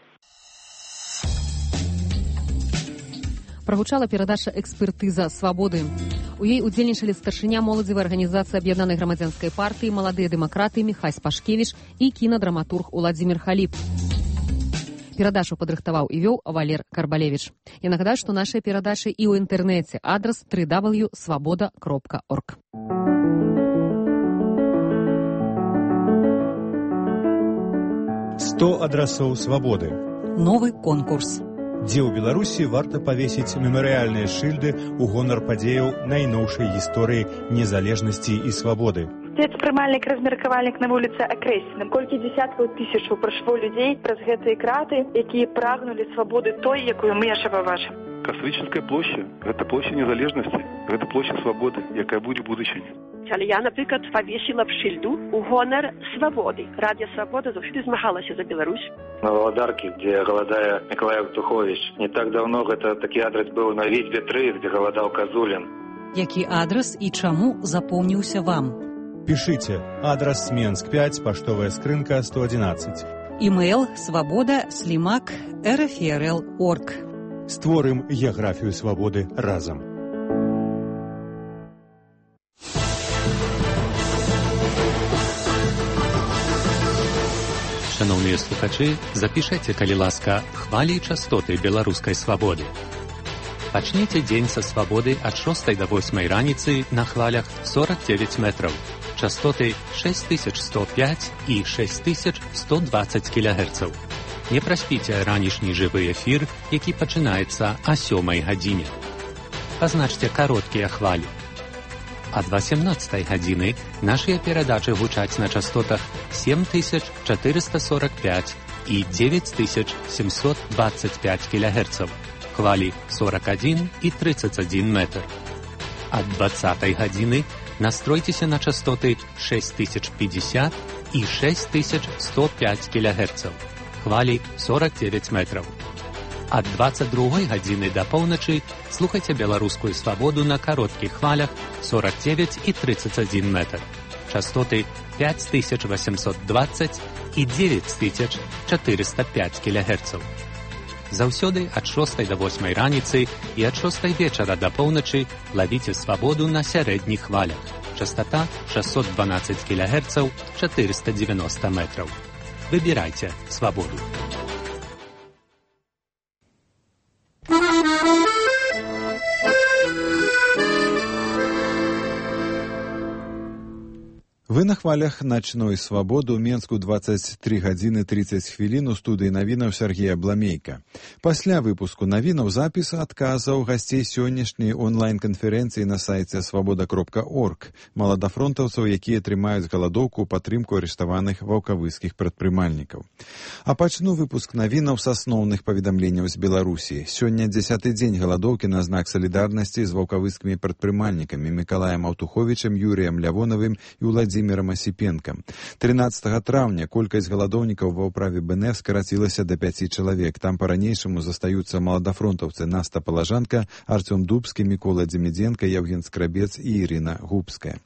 Speaker 2: Прагучала перадача «Экспертыза свабоды». У ёй удзельнічалі старшыня моладзевай арганізацыі Аб'яднанай грамадзянскай партыі «Маладыя дэмакраты» Міхась Пашкевіч і кінадраматург Уладзімір Халіп. Перадачу падрыхтаваў і вёў Валер Карбалевіч. Я нагадаю, што нашыя перадачы і ў інтэрнэце. Адрас www.swaboda.org.
Speaker 12: 100 адрасоў свабоды.
Speaker 2: Новы конкурс.
Speaker 12: Дзе ў Беларусі варта павесіць мемарыяльныя шыльды ў гонар падзеяў найноўшай гісторыі незалежнасці і свабоды.
Speaker 13: Прымальнік-размеркавальнік на вуліцы Акрэсіна. Колькі дзесяткаў тысячаў прайшло людзей праз гэтыя краты, якія прагнулі свабоды той, якую мы яшчэ пабачым.
Speaker 14: Кастрычніцкая плошча – гэта плошча незалежнасці, гэта плошча свабоды, якая будзе ў будучыні.
Speaker 15: Але я, наприклад, повісила б шильду у гонор свободы. Радіо «Свобода» завжди змагалася за Беларусь.
Speaker 16: На Володарке, где голодая Николай Евтухович. Не так давно это такой адрес был на Витьбе 3, где голодал Козулин.
Speaker 2: Які адрес і чаму запомніўся вам?
Speaker 12: Пишите. Адрес Менск 5, поштовая скрынка 111.
Speaker 2: Email svoboda@rfrl.org.
Speaker 12: Створым геаграфію свободы разом.
Speaker 7: Шановныя слухачы, запішайце, калі ласка, хвалі і частоты беларускай свабоды. Пачніце дзень са свабоды ад 6 до 8 раніцы на хвалях 49 метраў. Частоты 6105 і 6120 кГц. Не праспіце ранішні жывы эфір, які пачынаецца о 7 гадзіне. Пазначце кароткія хвалі. Ад 18 гадзіны нашыя перадачы гучаць на частотах 7445 і 9725 кГц, хвалі 41 і 31 метр. Ад 20 гадзіны настройцеся на частоты 6050 і 6105 кГц. Хвалі 49 метраў. Ад 22 гадзіны да поўначы слухайце беларускую свабоду на кароткіх хвалях 49 і 31 метр. Частоты 5820 і 9405 кГц. Заўсёды ад 6 до 8 раніцы і ад 6 вечара да поўначы лавіце свабоду на сярэдніх хвалях. Частота 612 кГц, 490 метраў. Выбірайце свабоду.
Speaker 1: Вы на хвалях начной свабоды ў Менску 23 гадзіны 30 хвілін у студыі навінаў Сергея Бламейка. Пасля выпуску навінаў запіс адказаў гасцей сённяшняй онлайн-канферэнцыі на сайце свабода.орг маладафронтаўцаў, якія трымаюць галадоўку ў падтрымку арыштаваных ваўкавыскіх прадпрымальнікаў. А пачну выпуск навінаў з асноўных паведамленняў з Беларусі. Сёння 10-й дзень галадоўкі на знак салідарнасці з ваўкавыскімі прадпрымальнікамі Мікалаем Аўтуховічам, Юрыем Лявонавым і Уладзімірам Асіпенкам. 13 траўня колькасць галадоўнікаў ва ўправе БНФ скарацілася да 5 чалавек. Там па-ранейшаму застаюцца маладафронтаўцы Наста Палажанка, Артём Дубскі, Мікола Дземідзенка, Яўген Скрабец і Ірына Губская.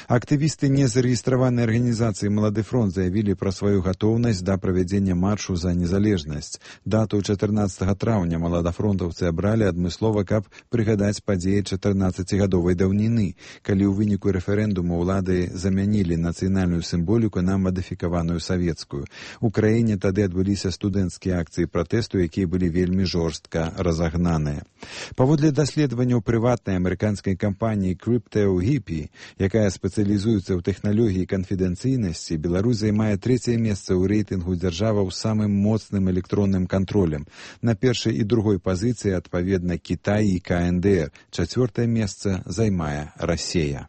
Speaker 1: Актывісты незарэгістраванай арганізацыі «Малады фронт» заявілі пра сваю гатоўнасць да правядзення маршу за незалежнасць. Дату 14 траўня маладафронтаўцы абралі адмыслова, каб прыгадаць падзеі 14-гадовай даўніны, калі ў выніку рэферэндуму ўлады замянілі нацыянальную сімволіку на мадыфікаваную савецкую. У краіне тады адбыліся студэнцкія акцыі пратэсту, якія былі вельмі жорстка разагнаныя. Паводле даследаванняў прыватнай амерыканскай кампаніі CryptoHippie, якая спецыялізуецца ў тэхналогіі канфідэнцыйнасці, Беларусь займае 3-е месца ў рэйтынгу дзяржаваў з самым моцным электронным кантролем. На першай і другой пазіцыі адпаведна Кітай і КНДР. 4-е месца займае Расія.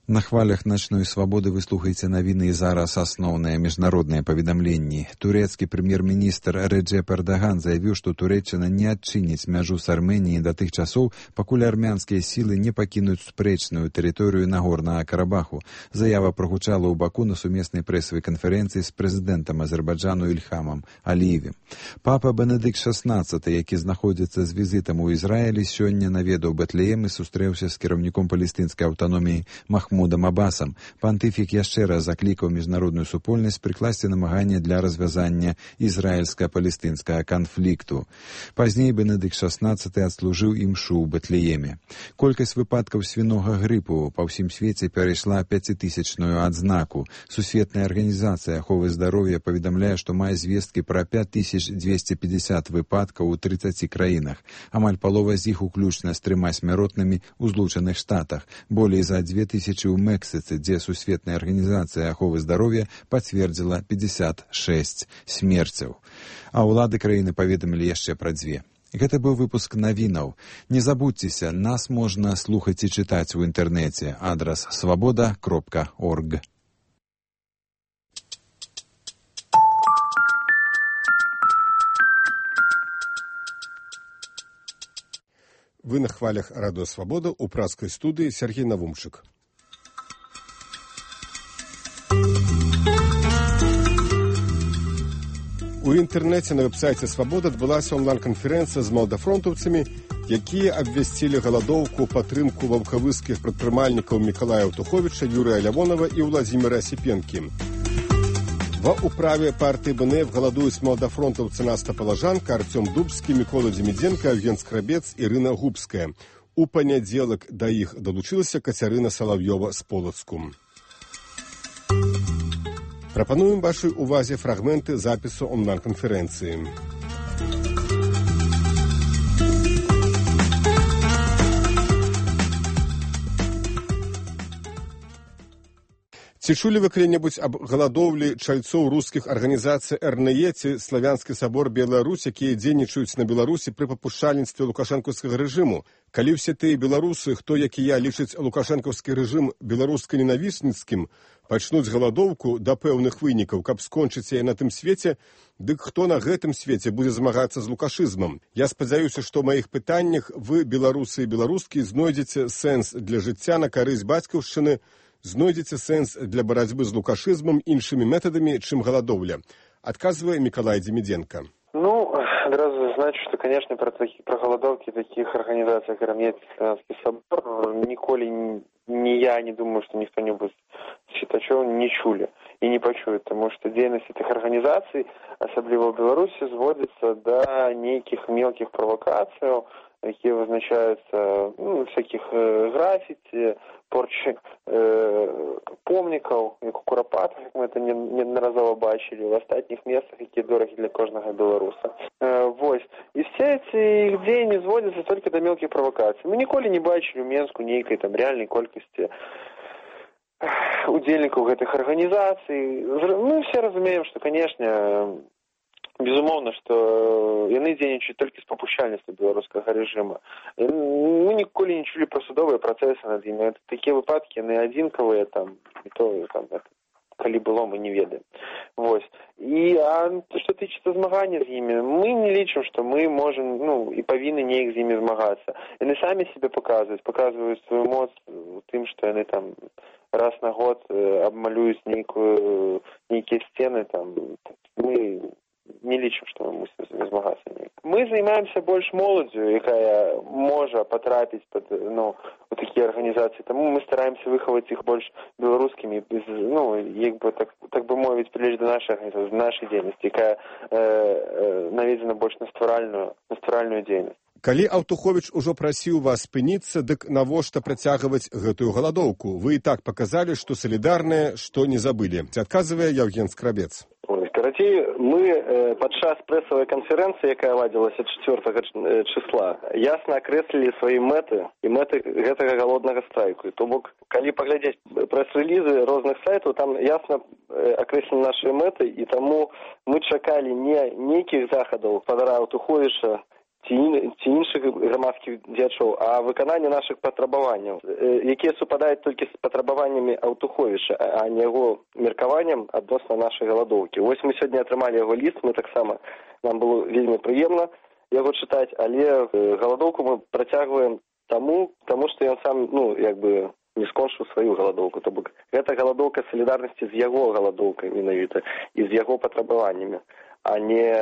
Speaker 1: На хвалях начной свабоды вы слухаеце навіны і зараз асноўныя міжнародныя паведамленні. Турэцкі прэм'ер-міністр Рэджэп Эрдаган заявіў, што Турэччына не адчыніць мяжу з Арменіяй да тых часоў, пакуль армянскія сілы не пакінуць спрэчную тэрыторыю Нагорнага Карабаху. Заява прагучала ў Баку на сумеснай прэсавай канферэнцыі з прэзідэнтам Азербайджану Ільхамам Аліевым. Папа Бенедыкт XVI, які знаходзіцца з візітам у Ізраілі, сёння наведаў Бэтлеем і сустрэўся з кіраўніком палестынскай аўтаноміі Махмудам Абасам. Пантыфік яшчэ раз заклікаў міжнародную супольнасць прыкласці намаганне для развязання ізраільска-палестынскага канфлікту. Пазней Бенедыкт XVI адслужыў імшу ў Бэтлееме. Колькасць выпадкаў свінога грыпу па ўсім свеце перайшла 5000-ную адзнаку. Сусветная арганізацыя аховы здароўя паведамляе, што мае звесткі пра 5250 выпадкаў у 30 краінах. Амаль палова з іх уключна з 3 смяротнымі ў Злучаных Штатах. Болей за 2000 у Мексіцы, дзе Сусветная арганізацыя аховы здароўя пацвердзіла 56 смерцяў. А ўлады краіны паведамілі яшчэ пра 2. Гэта быў выпуск навінаў. Не забудзьцеся, нас можна слухаць і чытаць у інтэрнэце. Адрас свабода.орг.
Speaker 17: Вы на хвалях радыё «Свабода» у пражскай студыі Сергей Навумчык. У інтэрнэце на вэб-сайце «Свабода» адбылася онлайн-канферэнцыя з маладафронтаўцамі, якія абвясцілі галадоўку падтрымку ваўкавыскіх прадпрымальнікаў Мікалая Аўтуховіча, Юрыя Лявонава і Уладзіміра Асіпенкі. Ва ўправе партыі БНФ галадуюць маладафронтаўцы Наста Палажанка, Артём Дубскі, Мікола Дземідзенка, Яўген Скрабец, Ірына Губская. У панядзелак да іх далучылася Кацярына Салаўёва з Полацку. Прапануем вашай увазе фрагменты запісу онлайн-канферэнцыі. Ці чулі вы калі-небудзь аб галадоўлі чальцоў рускіх арганізацый РНЕ ці Славянскі сабор Беларусь, якія дзейнічаюць на Беларусі пры папушчальніцтве лукашэнкаўскага рэжыму? Калі ўсе тыя беларусы, хто, як і я, лічыць лукашэнкаўскі рэжым беларуска-ненавісніцкім, пачнуць галадоўку да пэўных вынікаў, каб скончыць яе на тым свеце, дык хто на гэтым свеце будзе змагацца з лукашызмам? Я спадзяюся, што ў маіх пытаннях вы, беларусы і беларускі, знойдзеце сэнс для жыцця на карысць бацькаўшчыны, знойдзеце сэнс для барацьбы з лукашызмам іншымі метадамі, чым галадоўля, адказвае Миколай Демиденко.
Speaker 18: Сразу значу, что, конечно, про голодовки таких организаций, как РНЕ, Славянский собор, николи ни я не думаю, что никто-нибудь читачов не чули и не почует, потому что деятельность этих организаций, особливо в Беларуси, сводится до неких мелких провокаций, які вызначаюцца всяких графіці, порчы помнікаў, як у Курапатах, як мы это неодноразово бачили, в астатніх местах, якія дорогі для кожнага беларуса. Вось. І все эти их дзеянні зводятся только до мелких провокаций. Мы ніколі не бачили у Менску нейкай там реальной колькасці удзельнікаў гэтых арганізацый. Мы все разумеем, что, конечно, безумоўна, што яны дзейнічаюць толькі з папушчальніцтва беларускага рэжыма. Мы ніколі не чулі пра судовыя працэсы над імі. Такія выпадкі, яны адзінкавыя, там, і то, там, калі было, мы не ведаем. Вось. І што тычыцца змагання з імі, мы не лічым, што мы можам, і павінны неяк з імі змагацца. Яны самі себе паказваюць сваю моц тым, што яны там раз на год абмалююць нейкія сцены, там, мы не лічым, што мы мусім з імі змагацца. Мы займаемся больш моладдзю, якая можа патрапіць пад у такія арганізацыі. Таму мы стараемся выхаваць іх больш беларускімі, як бы так бы мовіць, прылеч да нашай арганізацыі, нашай дзейнасці, якая наведзена больш на стваральную дзейнасць.
Speaker 17: Калі Аўтуховіч ужо прасіў вас спыніцца, дык навошта працягваць гэтую галадоўку? Вы і так паказалі, што салідарныя, што не забылі. Адказвае Яўген Скрабец.
Speaker 19: Карацей, мы падчас прэсавай канферэнцыі, якая ладзілася 4 числа, ясна акрэслілі свае мэты і мэты гэтага галоднага страйку. То бок, калі паглядзець прэс-рэлізы розных сайтаў, там ясна акрэслены нашы мэты, і таму мы чакалі не нейкіх захадаў падара Аўтуховіча ці іншых грамадскіх дзеячоў, а выкананне нашых патрабаванняў, якія супадаюць толькі з патрабаваннямі Аўтуховіча, а не яго меркаваннем адносна нашай галадоўкі. Вось мы сёння атрымалі яго ліст, мы таксама, нам было вельмі прыемна яго чытаць, але галадоўку мы працягваем таму, што ён сам, не скончыў сваю галадоўку. То бок, гэта галадоўка салідарнасці з яго галадоўкай менавіта і з яго патрабаваннямі, а не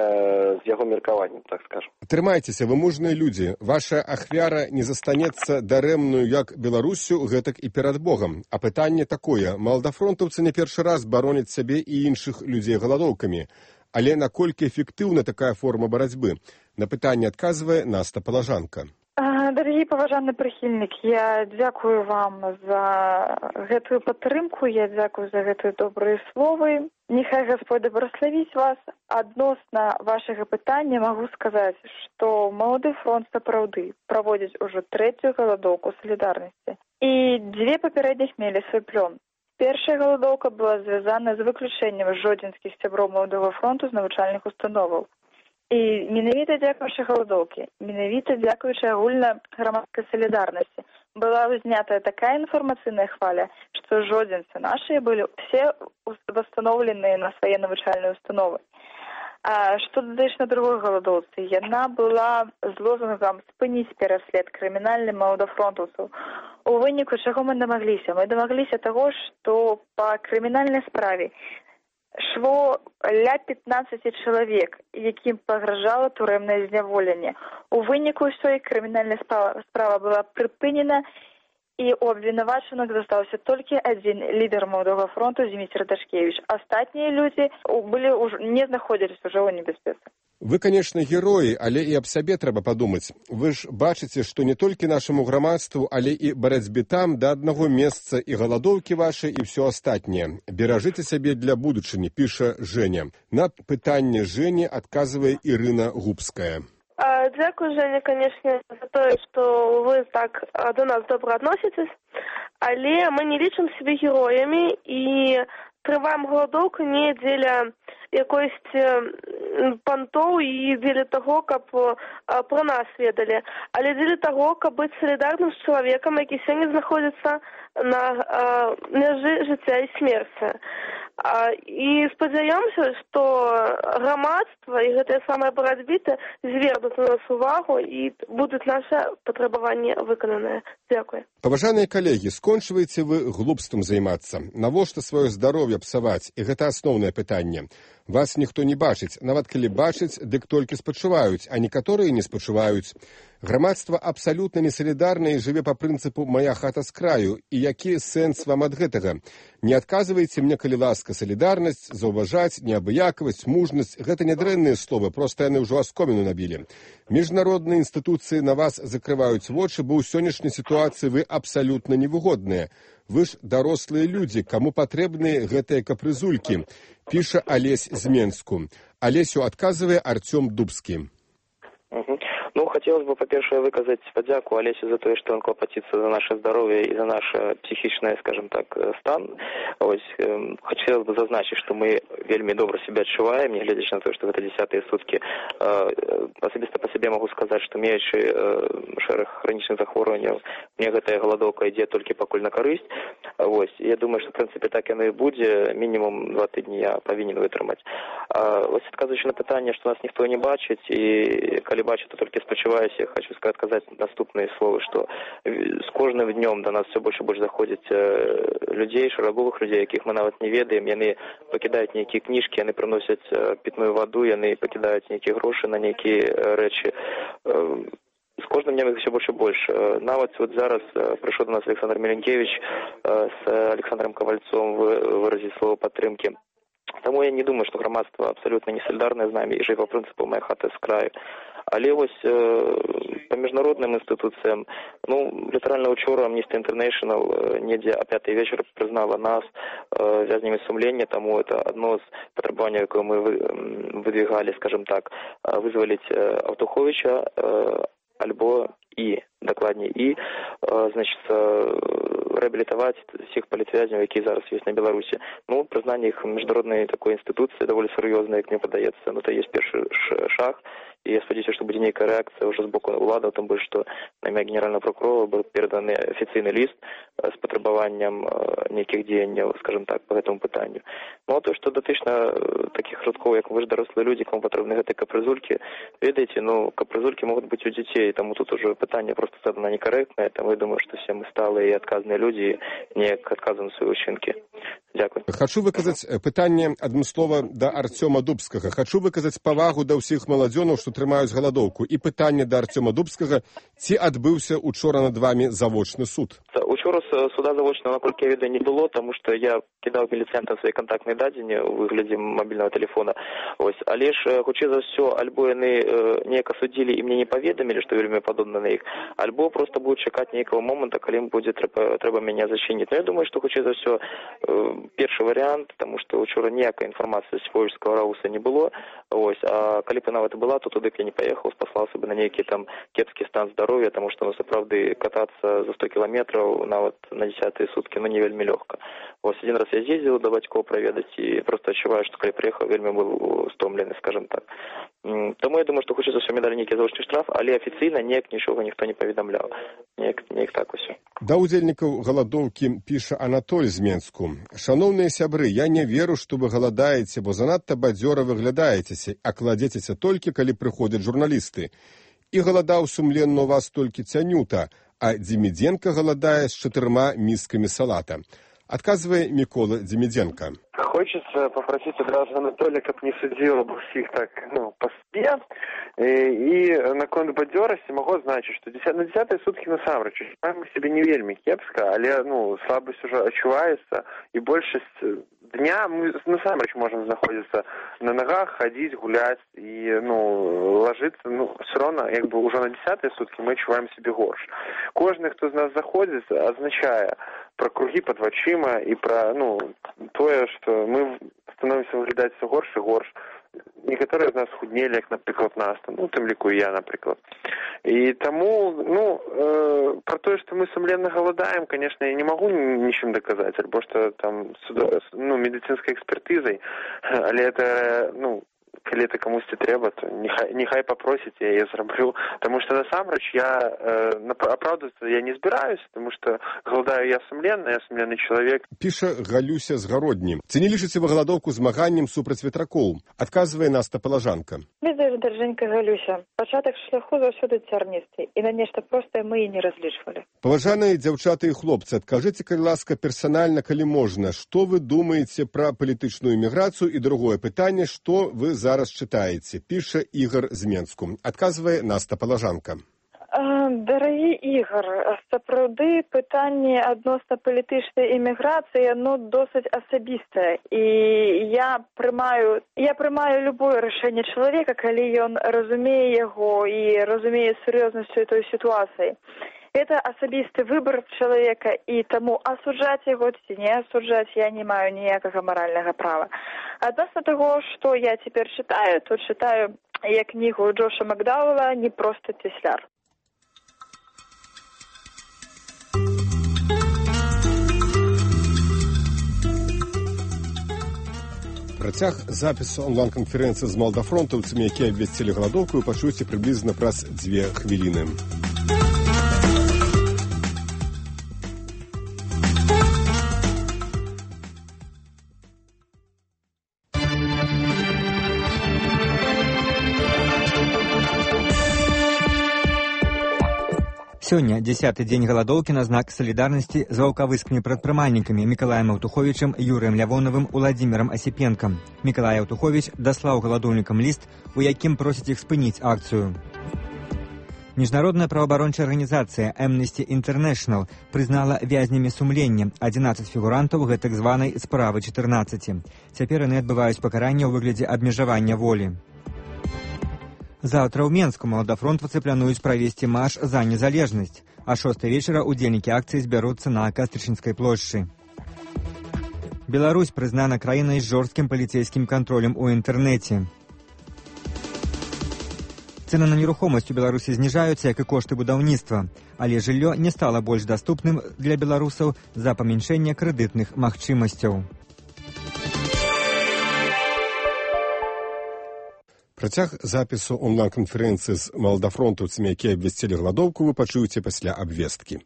Speaker 19: з яго меркаваннем, так скажем.
Speaker 17: Трымайцеся, вы мужныя людзі. Ваша ахвяра не застанецца дарэмную як Беларусю, гэтак і перад Богам. А пытанне такое. Малдафронтаўцы не першы раз бароняць сябе і іншых людзей галадоўкамі. Але наколькі эфектыўна такая форма барацьбы? На пытанне адказвае Наста Палажанка.
Speaker 13: Дарагі паважаны прыхільнік, я дзякую вам за гэтую падтрымку, я дзякую за гэтыя добрыя словы. Нехай Господь благословіць вас. Адносна вашага пытання магу сказаць, што Малады фронт сапраўды праводзіць ужо 3-ю галадоўку салідарнасці. І 2 папярэдніх мелі свой плён. Першая галадоўка была звязана з выключэннем жодзінскіх сяброў Маладога фронту з навучальных установаў. І менавіта дзякуючы галадоўкі, менавіта дзякуючы агульнаграмадскай салідарнасці была ўзнятая такая інфармацыйная хваля, што жодзінцы нашыя былі все восстановленыя на свае навучальныя установы. А што дадзеш на другой галадоўцы? Яна была з лозунгам «Спыніць пераслед крымінальным маладафронтаўцаў». У выніку чаго мы дамагліся? Мы дамагліся таго, што па крымінальнай справе шло ля 15 чалавек, якім пагражала турэмнае зняволенне. У выніку ўсёй крымінальная справа была прыпынена, і у абвінавачаных застаўся толькі адзін лідар Маладога фронту Зміцер Дашкевіч. Астатнія людзі не знаходзіліся ўжо ў небяспецы.
Speaker 17: Вы, конечно, героі, але і аб сабе трэба падумаць. Вы ж бачыце, што не толькі нашаму грамадству, але і барацьбе там да аднаго месца і галадоўкі вашы і ўсё астатняе. Беражыце сябе для будучыні, піша Жэня. На пытанне Жэні адказвае Ірына Губская.
Speaker 20: Дзякую, Женя, конечно, за тое, што вы так до нас добра адносіцесь, але мы не лічым сябе героямі і трываем галадоўку не дзеля якоїсь пантоў і дзеля таго, каб пра нас ведалі, але дзеля таго, каб быць салідарным з чалавекам, які сёння знаходзіцца на мяжы жыцця і смерці. І спадзяёмся, што грамадства і гэтыя самыя барацьбіты звернуць на нас увагу і будуць нашы патрабаванні выкананыя. Дзякуй.
Speaker 17: Паважаныя калегі, скончваеце вы глупствам займацца. Навошта сваё здароўе псаваць? І гэта асноўнае пытанне. Вас ніхто не бачыць. Нават калі бачыць, дык толькі спачуваюць, а некаторыя не спачуваюць. Грамадства абсалютна несалідарнае і жыве па прынцыпу «мая хата з краю». І які сэнс вам ад гэтага? Не адказвайце мне, калі ласка, салідарнасць, заўважаць, неабыякавасць, мужнасць – гэта нядрэнныя словы, проста яны ўжо аскоміну набілі. Міжнародныя інстытуцыі на вас закрываюць вочы, бо ў сённяшняй сітуацыі вы абсалютна невыгодныя. Вы ж дарослыя людзі, каму патрэбныя гэтыя капрызулькі, піша Алесь з Менску. Алесю адказвае Артём Дубскі.
Speaker 19: Ну, хотелось бы, по-перше, выказать подяку Олесю за то, что он клопотится за наше здоровье и за наше психичное, скажем так, стан. Ось, хотелось бы зазначить, что мы вельми добро себя адчуваем, не глядячи на то, что это 10-е сутки. Особисто по себе могу сказать, что имеючи шэраг хронічных захворванняў, мне гэтая галадоўка ідзе толькі пакуль на карысць. Ось, я думаю, что в принципе так яно і будзе, мінімум 2 тыдні я павінен вытрымаць. Ось, адказваючы на пытанне, что нас ніхто не бачыць, і калі бачыць, то толькі спачуваюсь, я хочу сказать наступные слова, что с кожным днем до нас все больше и больше заходит людей, шараговых людей, яких мы нават не ведаем, яны покидают некие книжки, яны приносят питную воду, яны покидают некие гроши на некие речи. С каждым днем их все больше и больше. Нават вот зараз пришел до нас Александр Меленкевич с Александром Ковальцом выразить слово поддержки. Тому я не думаю, что громадство абсолютно не солидарное з нами и живе по принципу «моя хата з краю». Але ось по міжнародним інституціям, ну, літерально вчора Amnesty International недзе о 5-й вечора признала нас вязнями сумления, тому это одно з потребований, яке ми выдвигали, скажем так, вызволить Автуховича, альбо докладнее, значит, реабілітувати всіх політв'язнів, які зараз є на Білорусі. Ну, признання їх міжнародної такої інституції доволі серйозне, як мені подається. Ну, це є перший шаг. И я сподіваюся, что будет некая реакция уже с боку влады, тем более, что на имя генерального прокурора был передан официальный лист с потребованием неких деяний, скажем так, по этому питанию. Ну, а то, что дотично таких родков, как вы же дорослые люди, кому потребны эти капризульки, видите, ну, капризульки могут быть у детей, тому тут уже питание просто задано некорректное, тому я думаю, что все мы сталые и отказные люди, не отказываем свои учинки. Дякую.
Speaker 17: Хочу выказаць пытанне адным слова да Артёма Дубскага. Хочу выказаць павагу да ўсіх маладзёнаў, што трымаюць галадоўку. І пытанне да Артёма Дубскага, ці адбыўся учора над вами завочны суд?
Speaker 19: Учора суда завочного, наколькі я ведаю, не было, тому что я кидав міліцентам свої контактні дані у вигляді мобільного телефона. Ось, але ж, хоча за все, альбо вони неяк осудили і мені не повідомили, що вельми подобно на їх, альбо просто будуть чекати ніякого моменту, коли їм буде треба мене зачинити. Но я думаю, що хоча за все, перший варіант, тому що вчора ніякої інформації з Волжського Рауса не було. Ось, а коли б навіть була, то туди б я не поїхав, спаслався б на некий там кепський стан здоров'я, тому що, ну, справді, кататися за 100 кілометрів навіть на 10-ті сутки, ну, не вельми легко. Ось, один раз я з'їздив до батьків провідати і просто відчуваю, що коли приїхав, вельми був стомлений, скажімо так. Тому я думаю, що хочеться все дали некий заочний штраф, але офіційно ніяк нічого ніхто не повідомляв. Ніяк так ось.
Speaker 17: Да удзельнікаў галадоўкі піша Анатоль з Менску. Шановныя сябры, я не веру, што вы галадаеце, бо занадта бадзёра выглядаецеся, а кладзецеся толькі, калі прыходзяць журналісты. І галадаў сумленна у вас толькі Цянюта, а Дзімідзенка галадае з 4 мисками салата. Отказывая Микола Демиденко.
Speaker 18: Хочется попросить одразу Анатолия, как не судил об всех так, ну, по себе. И на конт бадзёрасці могу значить, что на 10-е сутки насамрэч мы себе не вельмі кепска, але, ну, слабость уже отчувается, и большасць дня мы насамрэч можем знаходиться на ногах, ходить, гулять и, ну, ложиться, ну, все равно, как бы уже на 10-е сутки мы отчуваем себе горш. Кожный, кто из нас заходит, означая про круги под вачыма и про, ну, тое, что мы становимся выглядаць все горш и горш. некаторыя з нас худнелі, як, напрыклад, Наста, ну, тым ліку і я, напрыклад. І таму, пра тое, што мы сумленна галадаем, конечно, я не магу нічым даказаць, альбо што там медыцынскай экспертызай, але это, калі это камусьці трэба, то нехай папросіць, я яе зраблю. Таму што насамрэч я апраўдвацца я не збіраюся, таму што галадаю я сумленны чалавек.
Speaker 17: Піша Галюся з Гародні. Ці не лічыце вы галадоўку змаганнем супраць ветракоў? Адказвае Наста Палажанка.
Speaker 13: Ведаеш, даражэнька Галюся, пачатак шляху заўсёды цярністы, і на нешта простае мы і не разлічвалі.
Speaker 17: Паважаныя дзяўчаты і хлопцы, адкажыце, калі ласка, персанальна, калі можна, што вы думаеце пра палітычную міграцыю, і другое пытанне, што вы зараз чытаеце, піша Ігар з Менску. Адказвае Наста Палажанка.
Speaker 13: Дарагі Ігар, сапраўды пытанне адносна палітычнай іміграцыі, досыць асабістае. І я прымаю любое рашэнне чалавека, калі ён разумее яго і разумее сур'ёзнасць той сітуацыі. Это асабісты выбор чалавека, і таму асуджаць яго ці не асуджаць я не маю ніякага маральнага права. Адносна таго, што я цяпер чытаю, то чытаю я кнігу Джоша Макдауэлла «Не проста цесляр».
Speaker 17: Працяг запісу онлайн-канферэнцыі з малдафронтаўцамі, якія абвясцілі галадоўку, вы пачуеце прыблізна праз 2 хвіліны.
Speaker 6: Сёння 10-й дзень галадоўкі на знак салідарнасці з ваўкавыскімі прадпрымальнікамі Мікалаем Аўтуховічам, Юрыем Лявоновым, Уладзімірам Асіпенкам. Мікалай Аўтуховіч даслаў галадоўнікам ліст, у якім просіць іх спыніць акцыю. Міжнародная праваабарончая арганізацыя Amnesty International прызнала вязнямі сумлення 11 фігурантаў гэтак званай справы 14. Цяпер яны адбываюць пакаранне ў выглядзе абмежавання волі. Заўтра ў Менску маладафронтаўцы плануюць правесці марш за незалежнасць, а 6 вечара удзельнікі акцыі збяруцца на Кастрычніцкай плошчы. Беларусь прызнана краінай з жорсткім паліцэйскім кантролем у інтэрнэце. Цэны на нерухомасць у Беларусі зніжаюцца, як і кошты будаўніцтва, але жыллё не стала больш даступным для беларусаў з-за памяншэння крэдытных магчымасцяў.
Speaker 17: Працяг запісу онлайн-канферэнцыі з малдафронтаўцамі, якія абвясцілі галадоўку, вы пачуеце пасля абвесткі.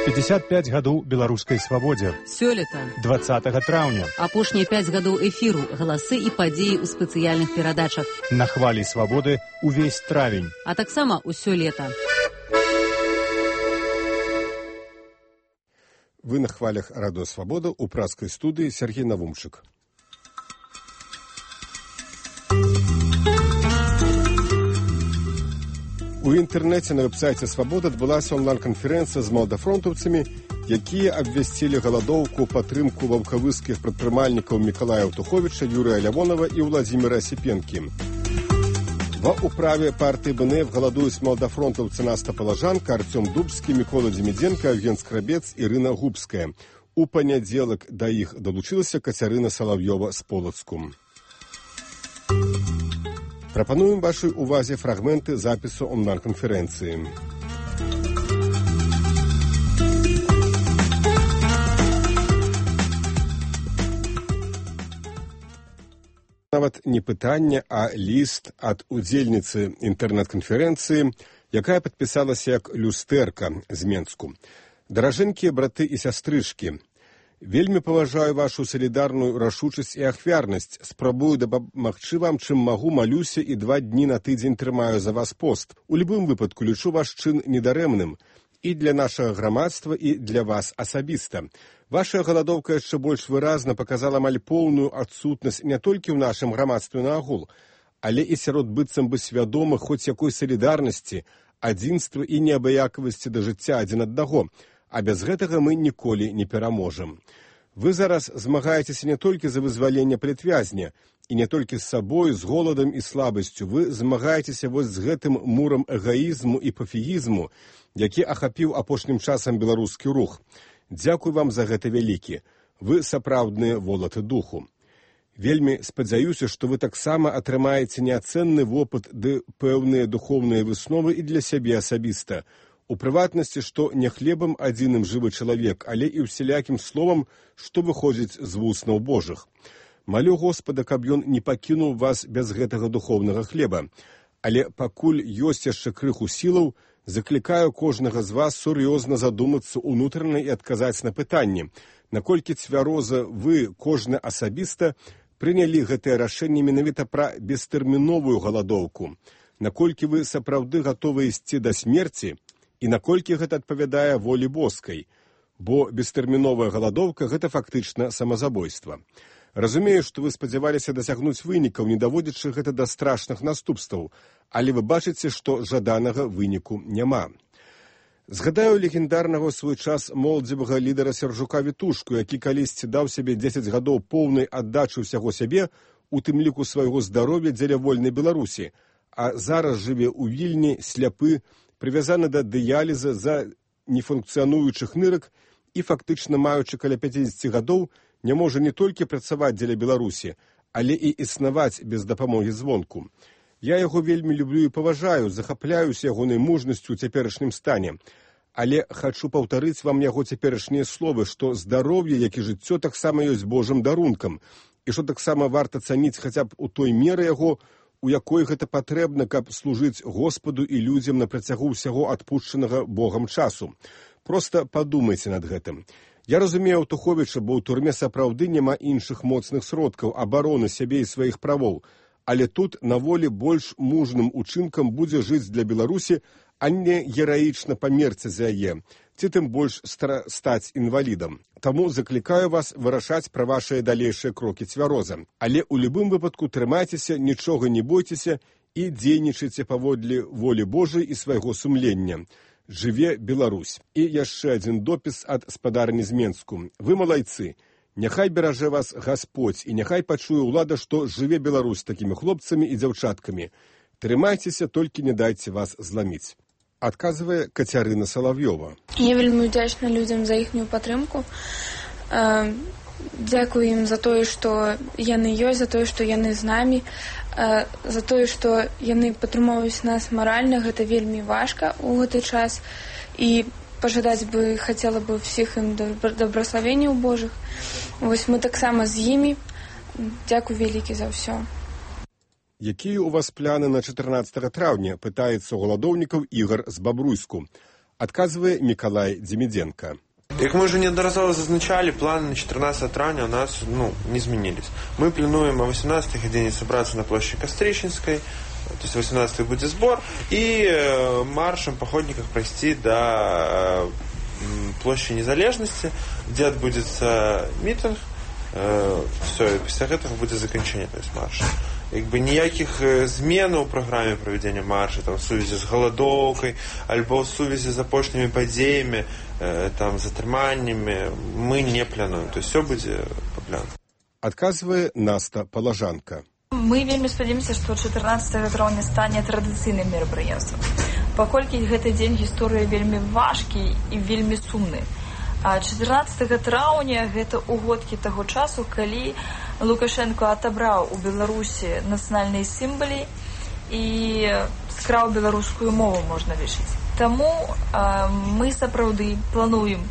Speaker 17: «55 гадоў беларускай свабодзе».
Speaker 2: Сёлета.
Speaker 17: 20 траўня.
Speaker 2: Апошнія 5 гадоў эфіру, галасы і падзеі ў спецыяльных перадачах.
Speaker 17: На хвалі свабоды ўвесь травень.
Speaker 2: А таксама ўсё лета.
Speaker 17: Вы на хвалях радыё «Свабода» у пражскай студыі Сергей Навумчык. У інтэрнэце на вэб-сайце «Свабода» адбылася онлайн-канферэнцыя з малдафронтаўцамі, якія абвясцілі галадоўку падтрымку ваўкавыскіх прадпрымальнікаў Мікалая Аўтуховіча, Юрыя Лявонова і Уладзіміра Асіпенкі. Ва ўправе партыі БНФ галадуюць малдафронтаўцы Наста Палажанка, Артём Дубскі, Мікола Дземідзенка, Евген Скрабец, Ірына Губская. У панядзелак да іх далучылася Кацярына Салаўёва з Полацку. Прапануем вашай увазе фрагменты запісу онлайн-канферэнцыі. Нават не пытанне, а ліст ад удзельніцы інтэрнэт-канферэнцыі, якая падпісалася як люстэрка з Менску. Даражэнькія браты і сястрычкі, вельмі паважаю вашу салідарную рашучасць і ахвярнасць. Спрабую дапамагчы вам, чым магу, малюся і 2 дні на тыдзень трымаю за вас пост. У любым выпадку лічу ваш чын недарэмным і для нашага грамадства, і для вас асабіста. Ваша галадоўка яшчэ больш выразна паказала амаль поўную адсутнасць не толькі ў нашым грамадстве наогул, але і сярод быццам бы свядомых хоць якой салідарнасці, адзінства і неабыякавасці да жыцця адзін аднаго, а без гэтага мы ніколі не пераможам. Вы зараз змагаецеся не толькі за вызваленне палітвязня, і не толькі з сабой, з голадам і слабасцю, вы змагаецеся вось з гэтым мурам эгаізму і пафігізму, які ахапіў апошнім часам беларускі рух. Дзякуй вам за гэта вялікі. Вы сапраўдныя волаты духу. Вельмі спадзяюся, што вы таксама атрымаеце неацэнны вопыт ды пэўныя духоўныя высновы і для сябе асабіста. У прыватнасці, што не хлебам адзіным жывы чалавек, але і ўсялякім словам, што выходзіць з вуснаў Божых. Малю Господа, каб ён не пакінуў вас без гэтага духоўнага хлеба. Але пакуль ёсць яшчэ крыху сілаў, заклікаю кожнага з вас сур'ёзна задумацца ўнутрана і адказаць на пытанне, наколькі цвяроза вы, кожны асабіста, прынялі гэтае рашэнне менавіта пра бестэрміновую галадоўку, наколькі вы сапраўды гатовы ісці да смерці і наколькі гэта адпавядае волі боскай, бо бестэрміновая галадоўка – гэта фактычна самазабойства. Разумею, што вы спадзяваліся дасягнуць вынікаў, не даводзячы гэта да страшных наступстваў, але вы бачыце, што жаданага выніку няма. Згадаю легендарнага ў свой час моладзевага лідара Сяржука Вітушку, які калісьці даў сябе 10 гадоў поўнай аддачы ўсяго сябе, у тым ліку свайго здароўя дзеля вольнай Беларусі, а зараз жыве ў Вільні, сляпы, прывязаны да дыяліза за нефункцыянуючых нырак і фактычна маючы каля 50 гадоў, не можа не толькі працаваць дзеля Беларусі, але і існаваць без дапамогі звонку. Я яго вельмі люблю і паважаю, захапляюся ягонай мужнасцю ў цяперашнім стане. Але хачу паўтарыць вам яго цяперашнія словы, што здароўе, як і жыццё, таксама ёсць Божым дарункам, і што таксама варта цаніць хаця б у той меры яго, у якой гэта патрэбна, каб служыць Господу і людзям на працягу ўсяго адпушчанага Богам часу. Проста падумайце над гэтым. Я разумею Аўтуховіча, бо ў турме сапраўды няма іншых моцных сродкаў абароны сябе і сваіх правоў, але тут на волі больш мужным учынкам будзе жыць для Беларусі, а не гераічна памерці за яе, ці тым больш стаць інвалідам. Таму заклікаю вас вырашаць пра вашыя далейшыя крокі цвяроза. Але ў любым выпадку трымайцеся, нічога не бойцеся і дзейнічайце паводле волі Божай і свайго сумлення. Жыве Беларусь. І яшчэ адзін допіс ад спадарні з Менску. Вы малайцы. Няхай беражэ вас Гасподзь і няхай пачуе ўлада, што жыве Беларусь такімі хлопцамі і дзяўчаткамі. Трымайцеся, толькі не дайце вас зламіць. Адказвае Кацярына Салавёва.
Speaker 21: Я вельмі удзячна людзям за іхнюю падтрымку. Дзякую ім за тое, што яны ёсць, за тое, што яны з намі, за тое, што яны падтрымоўваюць нас маральна. Гэта вельмі важка ў гэты час. І пажадаць бы хацела бы ўсіх ім добраславенняў Божых. Вось мы таксама з імі. Дзякуй вялікі за ўсё.
Speaker 17: Якія ў вас пляны на 14 траўня, пытаецца ў галадоўнікаў Ігор з Бабруйску. Адказвае Мікалай Дземідзенка.
Speaker 22: Як мы уже неодноразово зазначали, планы на 14 травня у нас не изменились. Мы плануем о 18 године собраться на площади Кострищенской, то есть 18 будет сбор, и маршем походников пройти до площади Незалежности, где отбудется митинг, все, и после этого будет закончение, то есть марша. Ніяких змен у праграме правядзення марша, там, в сувязі з галадоўкай, альбо в сувязі з апошнімі падзеямі, там, затрыманнямі, мы не плануем. То есть все будзе па плану.
Speaker 17: Адказвае Наста Палажанка.
Speaker 23: Мы вельмі спадзяёмся, што 14 траўня стане традыцыйным мерапрыемствам. Паколькі гэты дзень гісторыі вельмі важкі і вельмі сумны. А 14 траўня гэта угодкі таго часу, калі Лукашенко адабраў у Беларусі нацыянальныя сімвалы і скраў беларускую мову, можна лічыць. Таму мы сапраўды плануем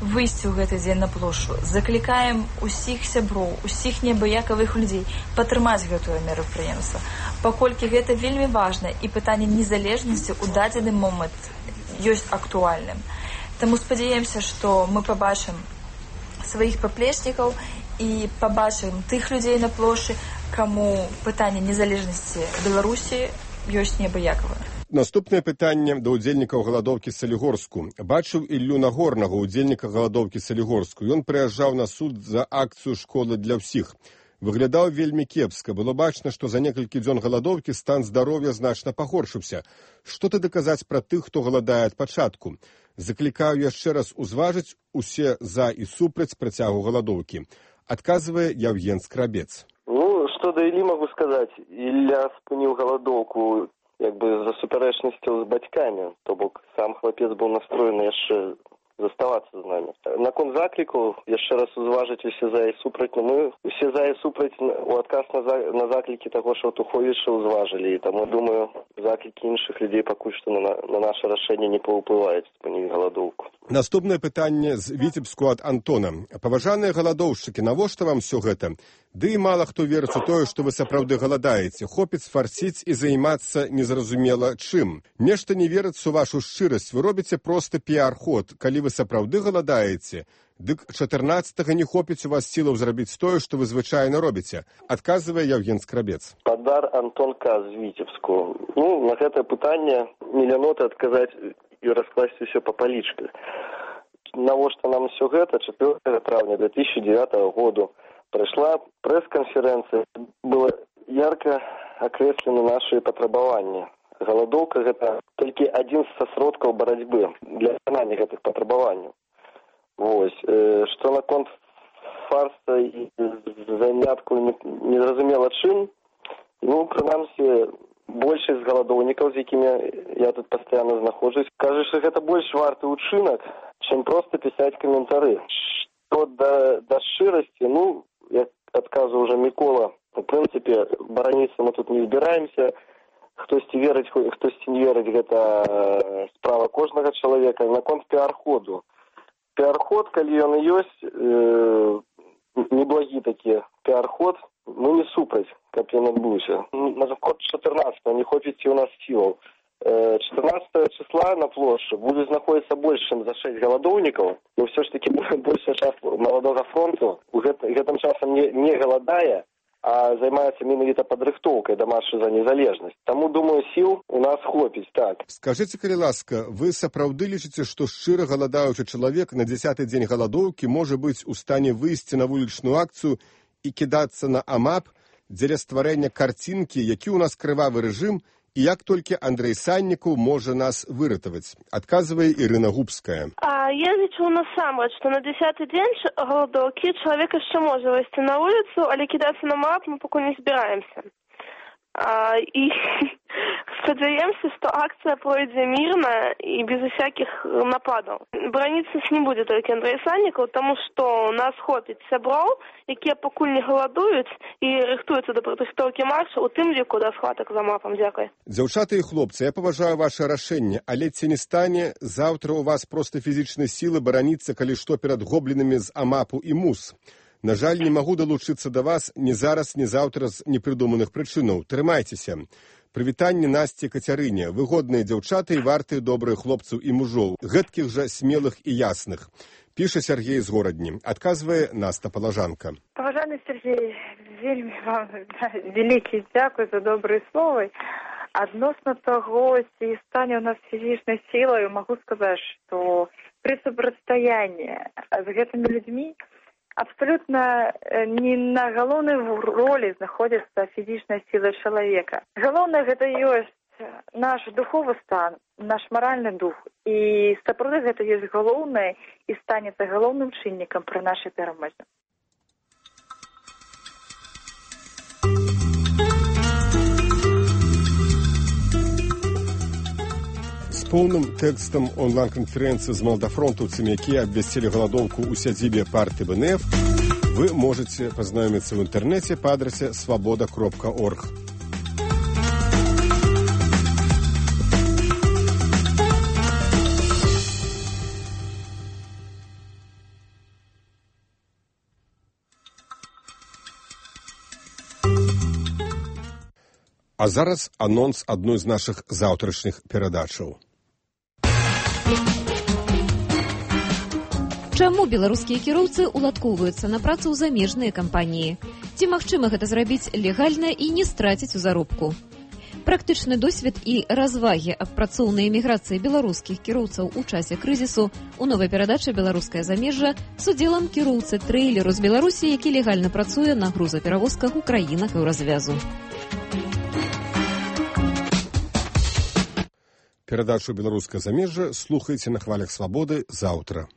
Speaker 23: выйсці ў гэты дзень на плошчу. Заклікаем усіх сяброў, усіх неабыякавых людзей падтрымаць гэтае мерапрыемства, паколькі гэта вельмі важна і пытанне незалежнасці ў дадзены момант ёсць актуальным. Таму спадзяемся, што мы пабачым сваіх паплечнікаў і пабачым тых людзей на плошчы, каму пытанне незалежнасці Беларусі ёсць неабыякавае.
Speaker 17: Наступнае пытанне да ўдзельнікаў галадоўкі Салігорску. Бачыў Іллю Нагорнага, ўдзельніка галадоўкі Салігорску. Ён прыязджаў на суд за акцыю «Школы для ўсіх». Выглядаў вельмі кепска. Было бачна, што за некалькі дзён галадоўкі стан здароўя значна пагоршыўся. Што ты даказаць пра тых, хто галадае ад пачатку? Заклікаю яшчэ раз узважыць усе за і супраць працягу галадоўкі. Адказвае Яўген Скрабец.
Speaker 19: Што да Іллі магу сказаць? Ілля спыніў галадоўку за супярэчнасцю з бацькамі. То бок сам хлапец быў настроены яшчэ заставацца з намі. Наконт заклікаў, яшчэ раз узважыць усе за і супраць, но мы усе за і супраць у адказ на заклікі таго Шаўтуховіча узважылі, і таму, думаю, заклікі іншых людзей пакуль што на наша рашэнне не паўплываюць спыніць галадоўку.
Speaker 17: Наступнае пытанне з Віцебску ад Антона. Паважаныя галадоўшчыкі, навошта вам все гэта? Ды і мала хто верыць у тое, што вы сапраўды галадаеце. Хопіць фарціць і займацца незразумела чым. Нешта не верыцца ў вашу шчырасць. Вы робіце проста піар-ход. Калі вы сапраўды галадаеце, дык 14-го не хопіць у вас сілаў зрабіць тое, што вы звычайна робіце, адказвае Яўген Скрабец.
Speaker 19: Падар Антон К. з Віцебску. На гэтае пытанне мільяноты адказаць і раскласці ўсё па палічках. Навошта нам усё гэта? 4 травня 2009 году прайшла прэс-канферэнцыя, было ярка акрэслены нашы патрабаванні. Галадоўка – гэта толькі адзін са сродкаў барацьбы для выканання гэтых патрабаванняў. Вось. Што наконт фарса і занятку незразумела чым, прынамсі, большасць галадоўнікаў, з якімі я тут пастаянна знаходжусь, кажуць, што гэта больш варты ўчынак, чым проста пісаць каментары. Што да шчырасці, як адказваў уже Мікола, у прынцыпе, бараніцца мы тут не збіраемся, хтосьці верыць, хтосьці не верыць, гэта справа кожнага чалавека. Наконт піар-ходу. Піар-ход, калі ён і ёсць, неблагі такі піар-ход, мы не супраць, каб ён адбыўся. Наконт 14-го не хопіць у нас сілаў. 14 числа на плошчы будзе знаходзіцца больш, чым за 6 галадоўнікаў, но ўсё ж такі большая частка маладога фронту гэтым часам не галадае, а займаецца менавіта падрыхтоўкай да маршу за незалежнасць. Таму, думаю, сіл у нас хопіць, так.
Speaker 17: Скажыце, калі ласка, вы сапраўды лічыце, што шчыра галадаючы чалавек на 10-й дзень галадоўкі можа быць у стане выйсці на вулічную акцыю і кідацца на АМАП дзеля стварэння карцінкі, які ў нас крывавы рэжым, і як толькі Андрэй Саннікаў можа нас выратаваць, адказвае Ірына Губская.
Speaker 20: Я лічу насамрэч, што на 10-й дзень галадоўкі чалавек яшчэ можа выйсці на вуліцу, але кідацца на МАП мы пакуль не збіраемся. І спадзяемся, што акцыя пройдзе мірна і без усякіх нападаў. Браніцца не будзе толькі Андрэй Саннікаў, таму што нас хопіць сяброў, якія пакуль не галадуюць і рыхтуюцца да падрыхтоўкі маршу, у тым ліку да схватак за МАПам. Дзякуй.
Speaker 17: Дзяўчаты і хлопцы, я паважаю ваше рашэнне, але ці не стане заўтра у вас проста фізічнай сілы бараніцца, калі што перад гоблінамі з АМАПу і МУС. На жаль, не магу далучыцца да вас ні зараз, ні заўтра з непрыдуманых прычынаў. Трымайцеся. Прывітанне Насці Кацярыне. Выгодныя дзяўчаты і вартыя добрыя хлопцаў і мужоў. Гэткіх жа смелых і ясных. Піша Сергей з Горадні. Адказвае Наста Палажанка.
Speaker 13: Паважаны Сергей, вельмі вам вялікі дзякуй за добрыя словы. Адносна таго, ці стане ў нас фізічнай сілай, магу сказаць, што пры супрацьстаянні з гэтымі людзьмі абсолютно не на галоўнай ролі знаходзіцца фізічная сіла чалавека. Галоўнае гэта ёсць наш духовы стан, наш маральны дух. І сапраўды гэта ёсць галоўнае і станецца галоўным чыннікам пры нашай перамозе.
Speaker 17: Поўным тэкстам онлайн-канферэнцыі з малдафронтаўцамі, якія абвясцілі галадоўку ў сядзібе партыі БНФ, вы можаце пазнаёміцца ў інтэрнэце па адрасе свабода.орг. А зараз анонс адной з нашых заўтрашніх перадачаў.
Speaker 3: Чаму беларускія кіроўцы уладкоўваюцца на працу ў замежныя кампаніі? Ці магчыма гэта зрабіць легальна і не страціць у заробку? Практычны досвед і развагі аб працоўнай эміграцыі беларускіх кіроўцаў у часе крызісу у новай перадачы «Беларускае замежжа» з удзелам кіроўцы трэйлеру з Беларусі, які легальна працуе на грузаперавозках у краінах еўразвязу.
Speaker 17: Перадачу «Беларускае замежжа» слухайце на хвалях свабоды заўтра.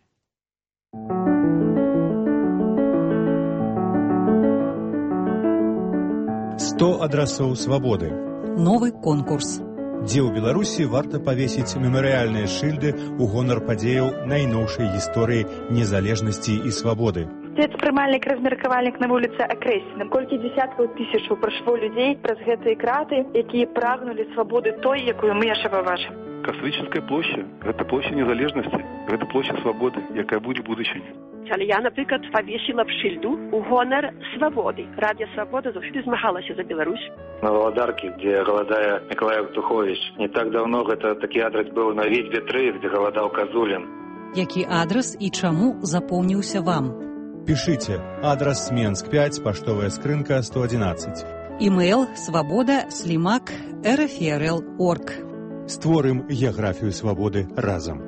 Speaker 12: «100 адрасоў свабоды».
Speaker 2: Новы конкурс.
Speaker 12: Дзе ў Беларусі варта павесіць мемарыяльныя шыльды ў гонар падзеяў найноўшай гісторыі незалежнасці і свабоды.
Speaker 13: Спецпрымальнік, размеркавальнік на вуліцы Акрэсіна. Колькі дзесяткаў тысячаў прайшло людзей праз гэтыя краты, якія прагнулі свабоды той, якую мы яшчэ пабачым.
Speaker 14: Кастрычніцкая площа – гэта площа незалежнасці, гэта площа свабоды, якая будзе будучыня.
Speaker 15: Але я, наприклад, павесіла б шыльду у гонар свабоды. Радіо Свабода заўсёды змагалася за Беларусь.
Speaker 16: На Валадарке, где галадае Миколай Евтухович. Не так давно гэта такі адрес быў на Вітьбе 3, где галадаў Казулін.
Speaker 4: Які адрес і чаму запомніўся вам?
Speaker 12: Пішыце. Адрес Менск 5, паштовая скрынка 111.
Speaker 4: Імейл svoboda@rfrl.org.
Speaker 12: Створым геаграфію свабоды разам.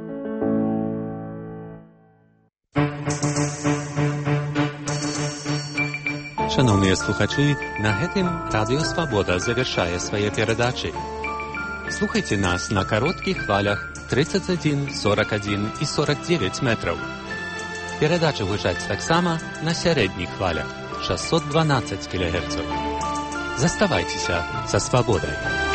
Speaker 7: Шановныя слухачы, на гэтым Радыё Свабода завяршае свае перадачы. Слухайце нас на кароткіх хвалях 31, 41 і 49 метраў. Перадачы гучаць таксама на сярэдніх хвалях 612 кГц. Заставайцеся са свабодай.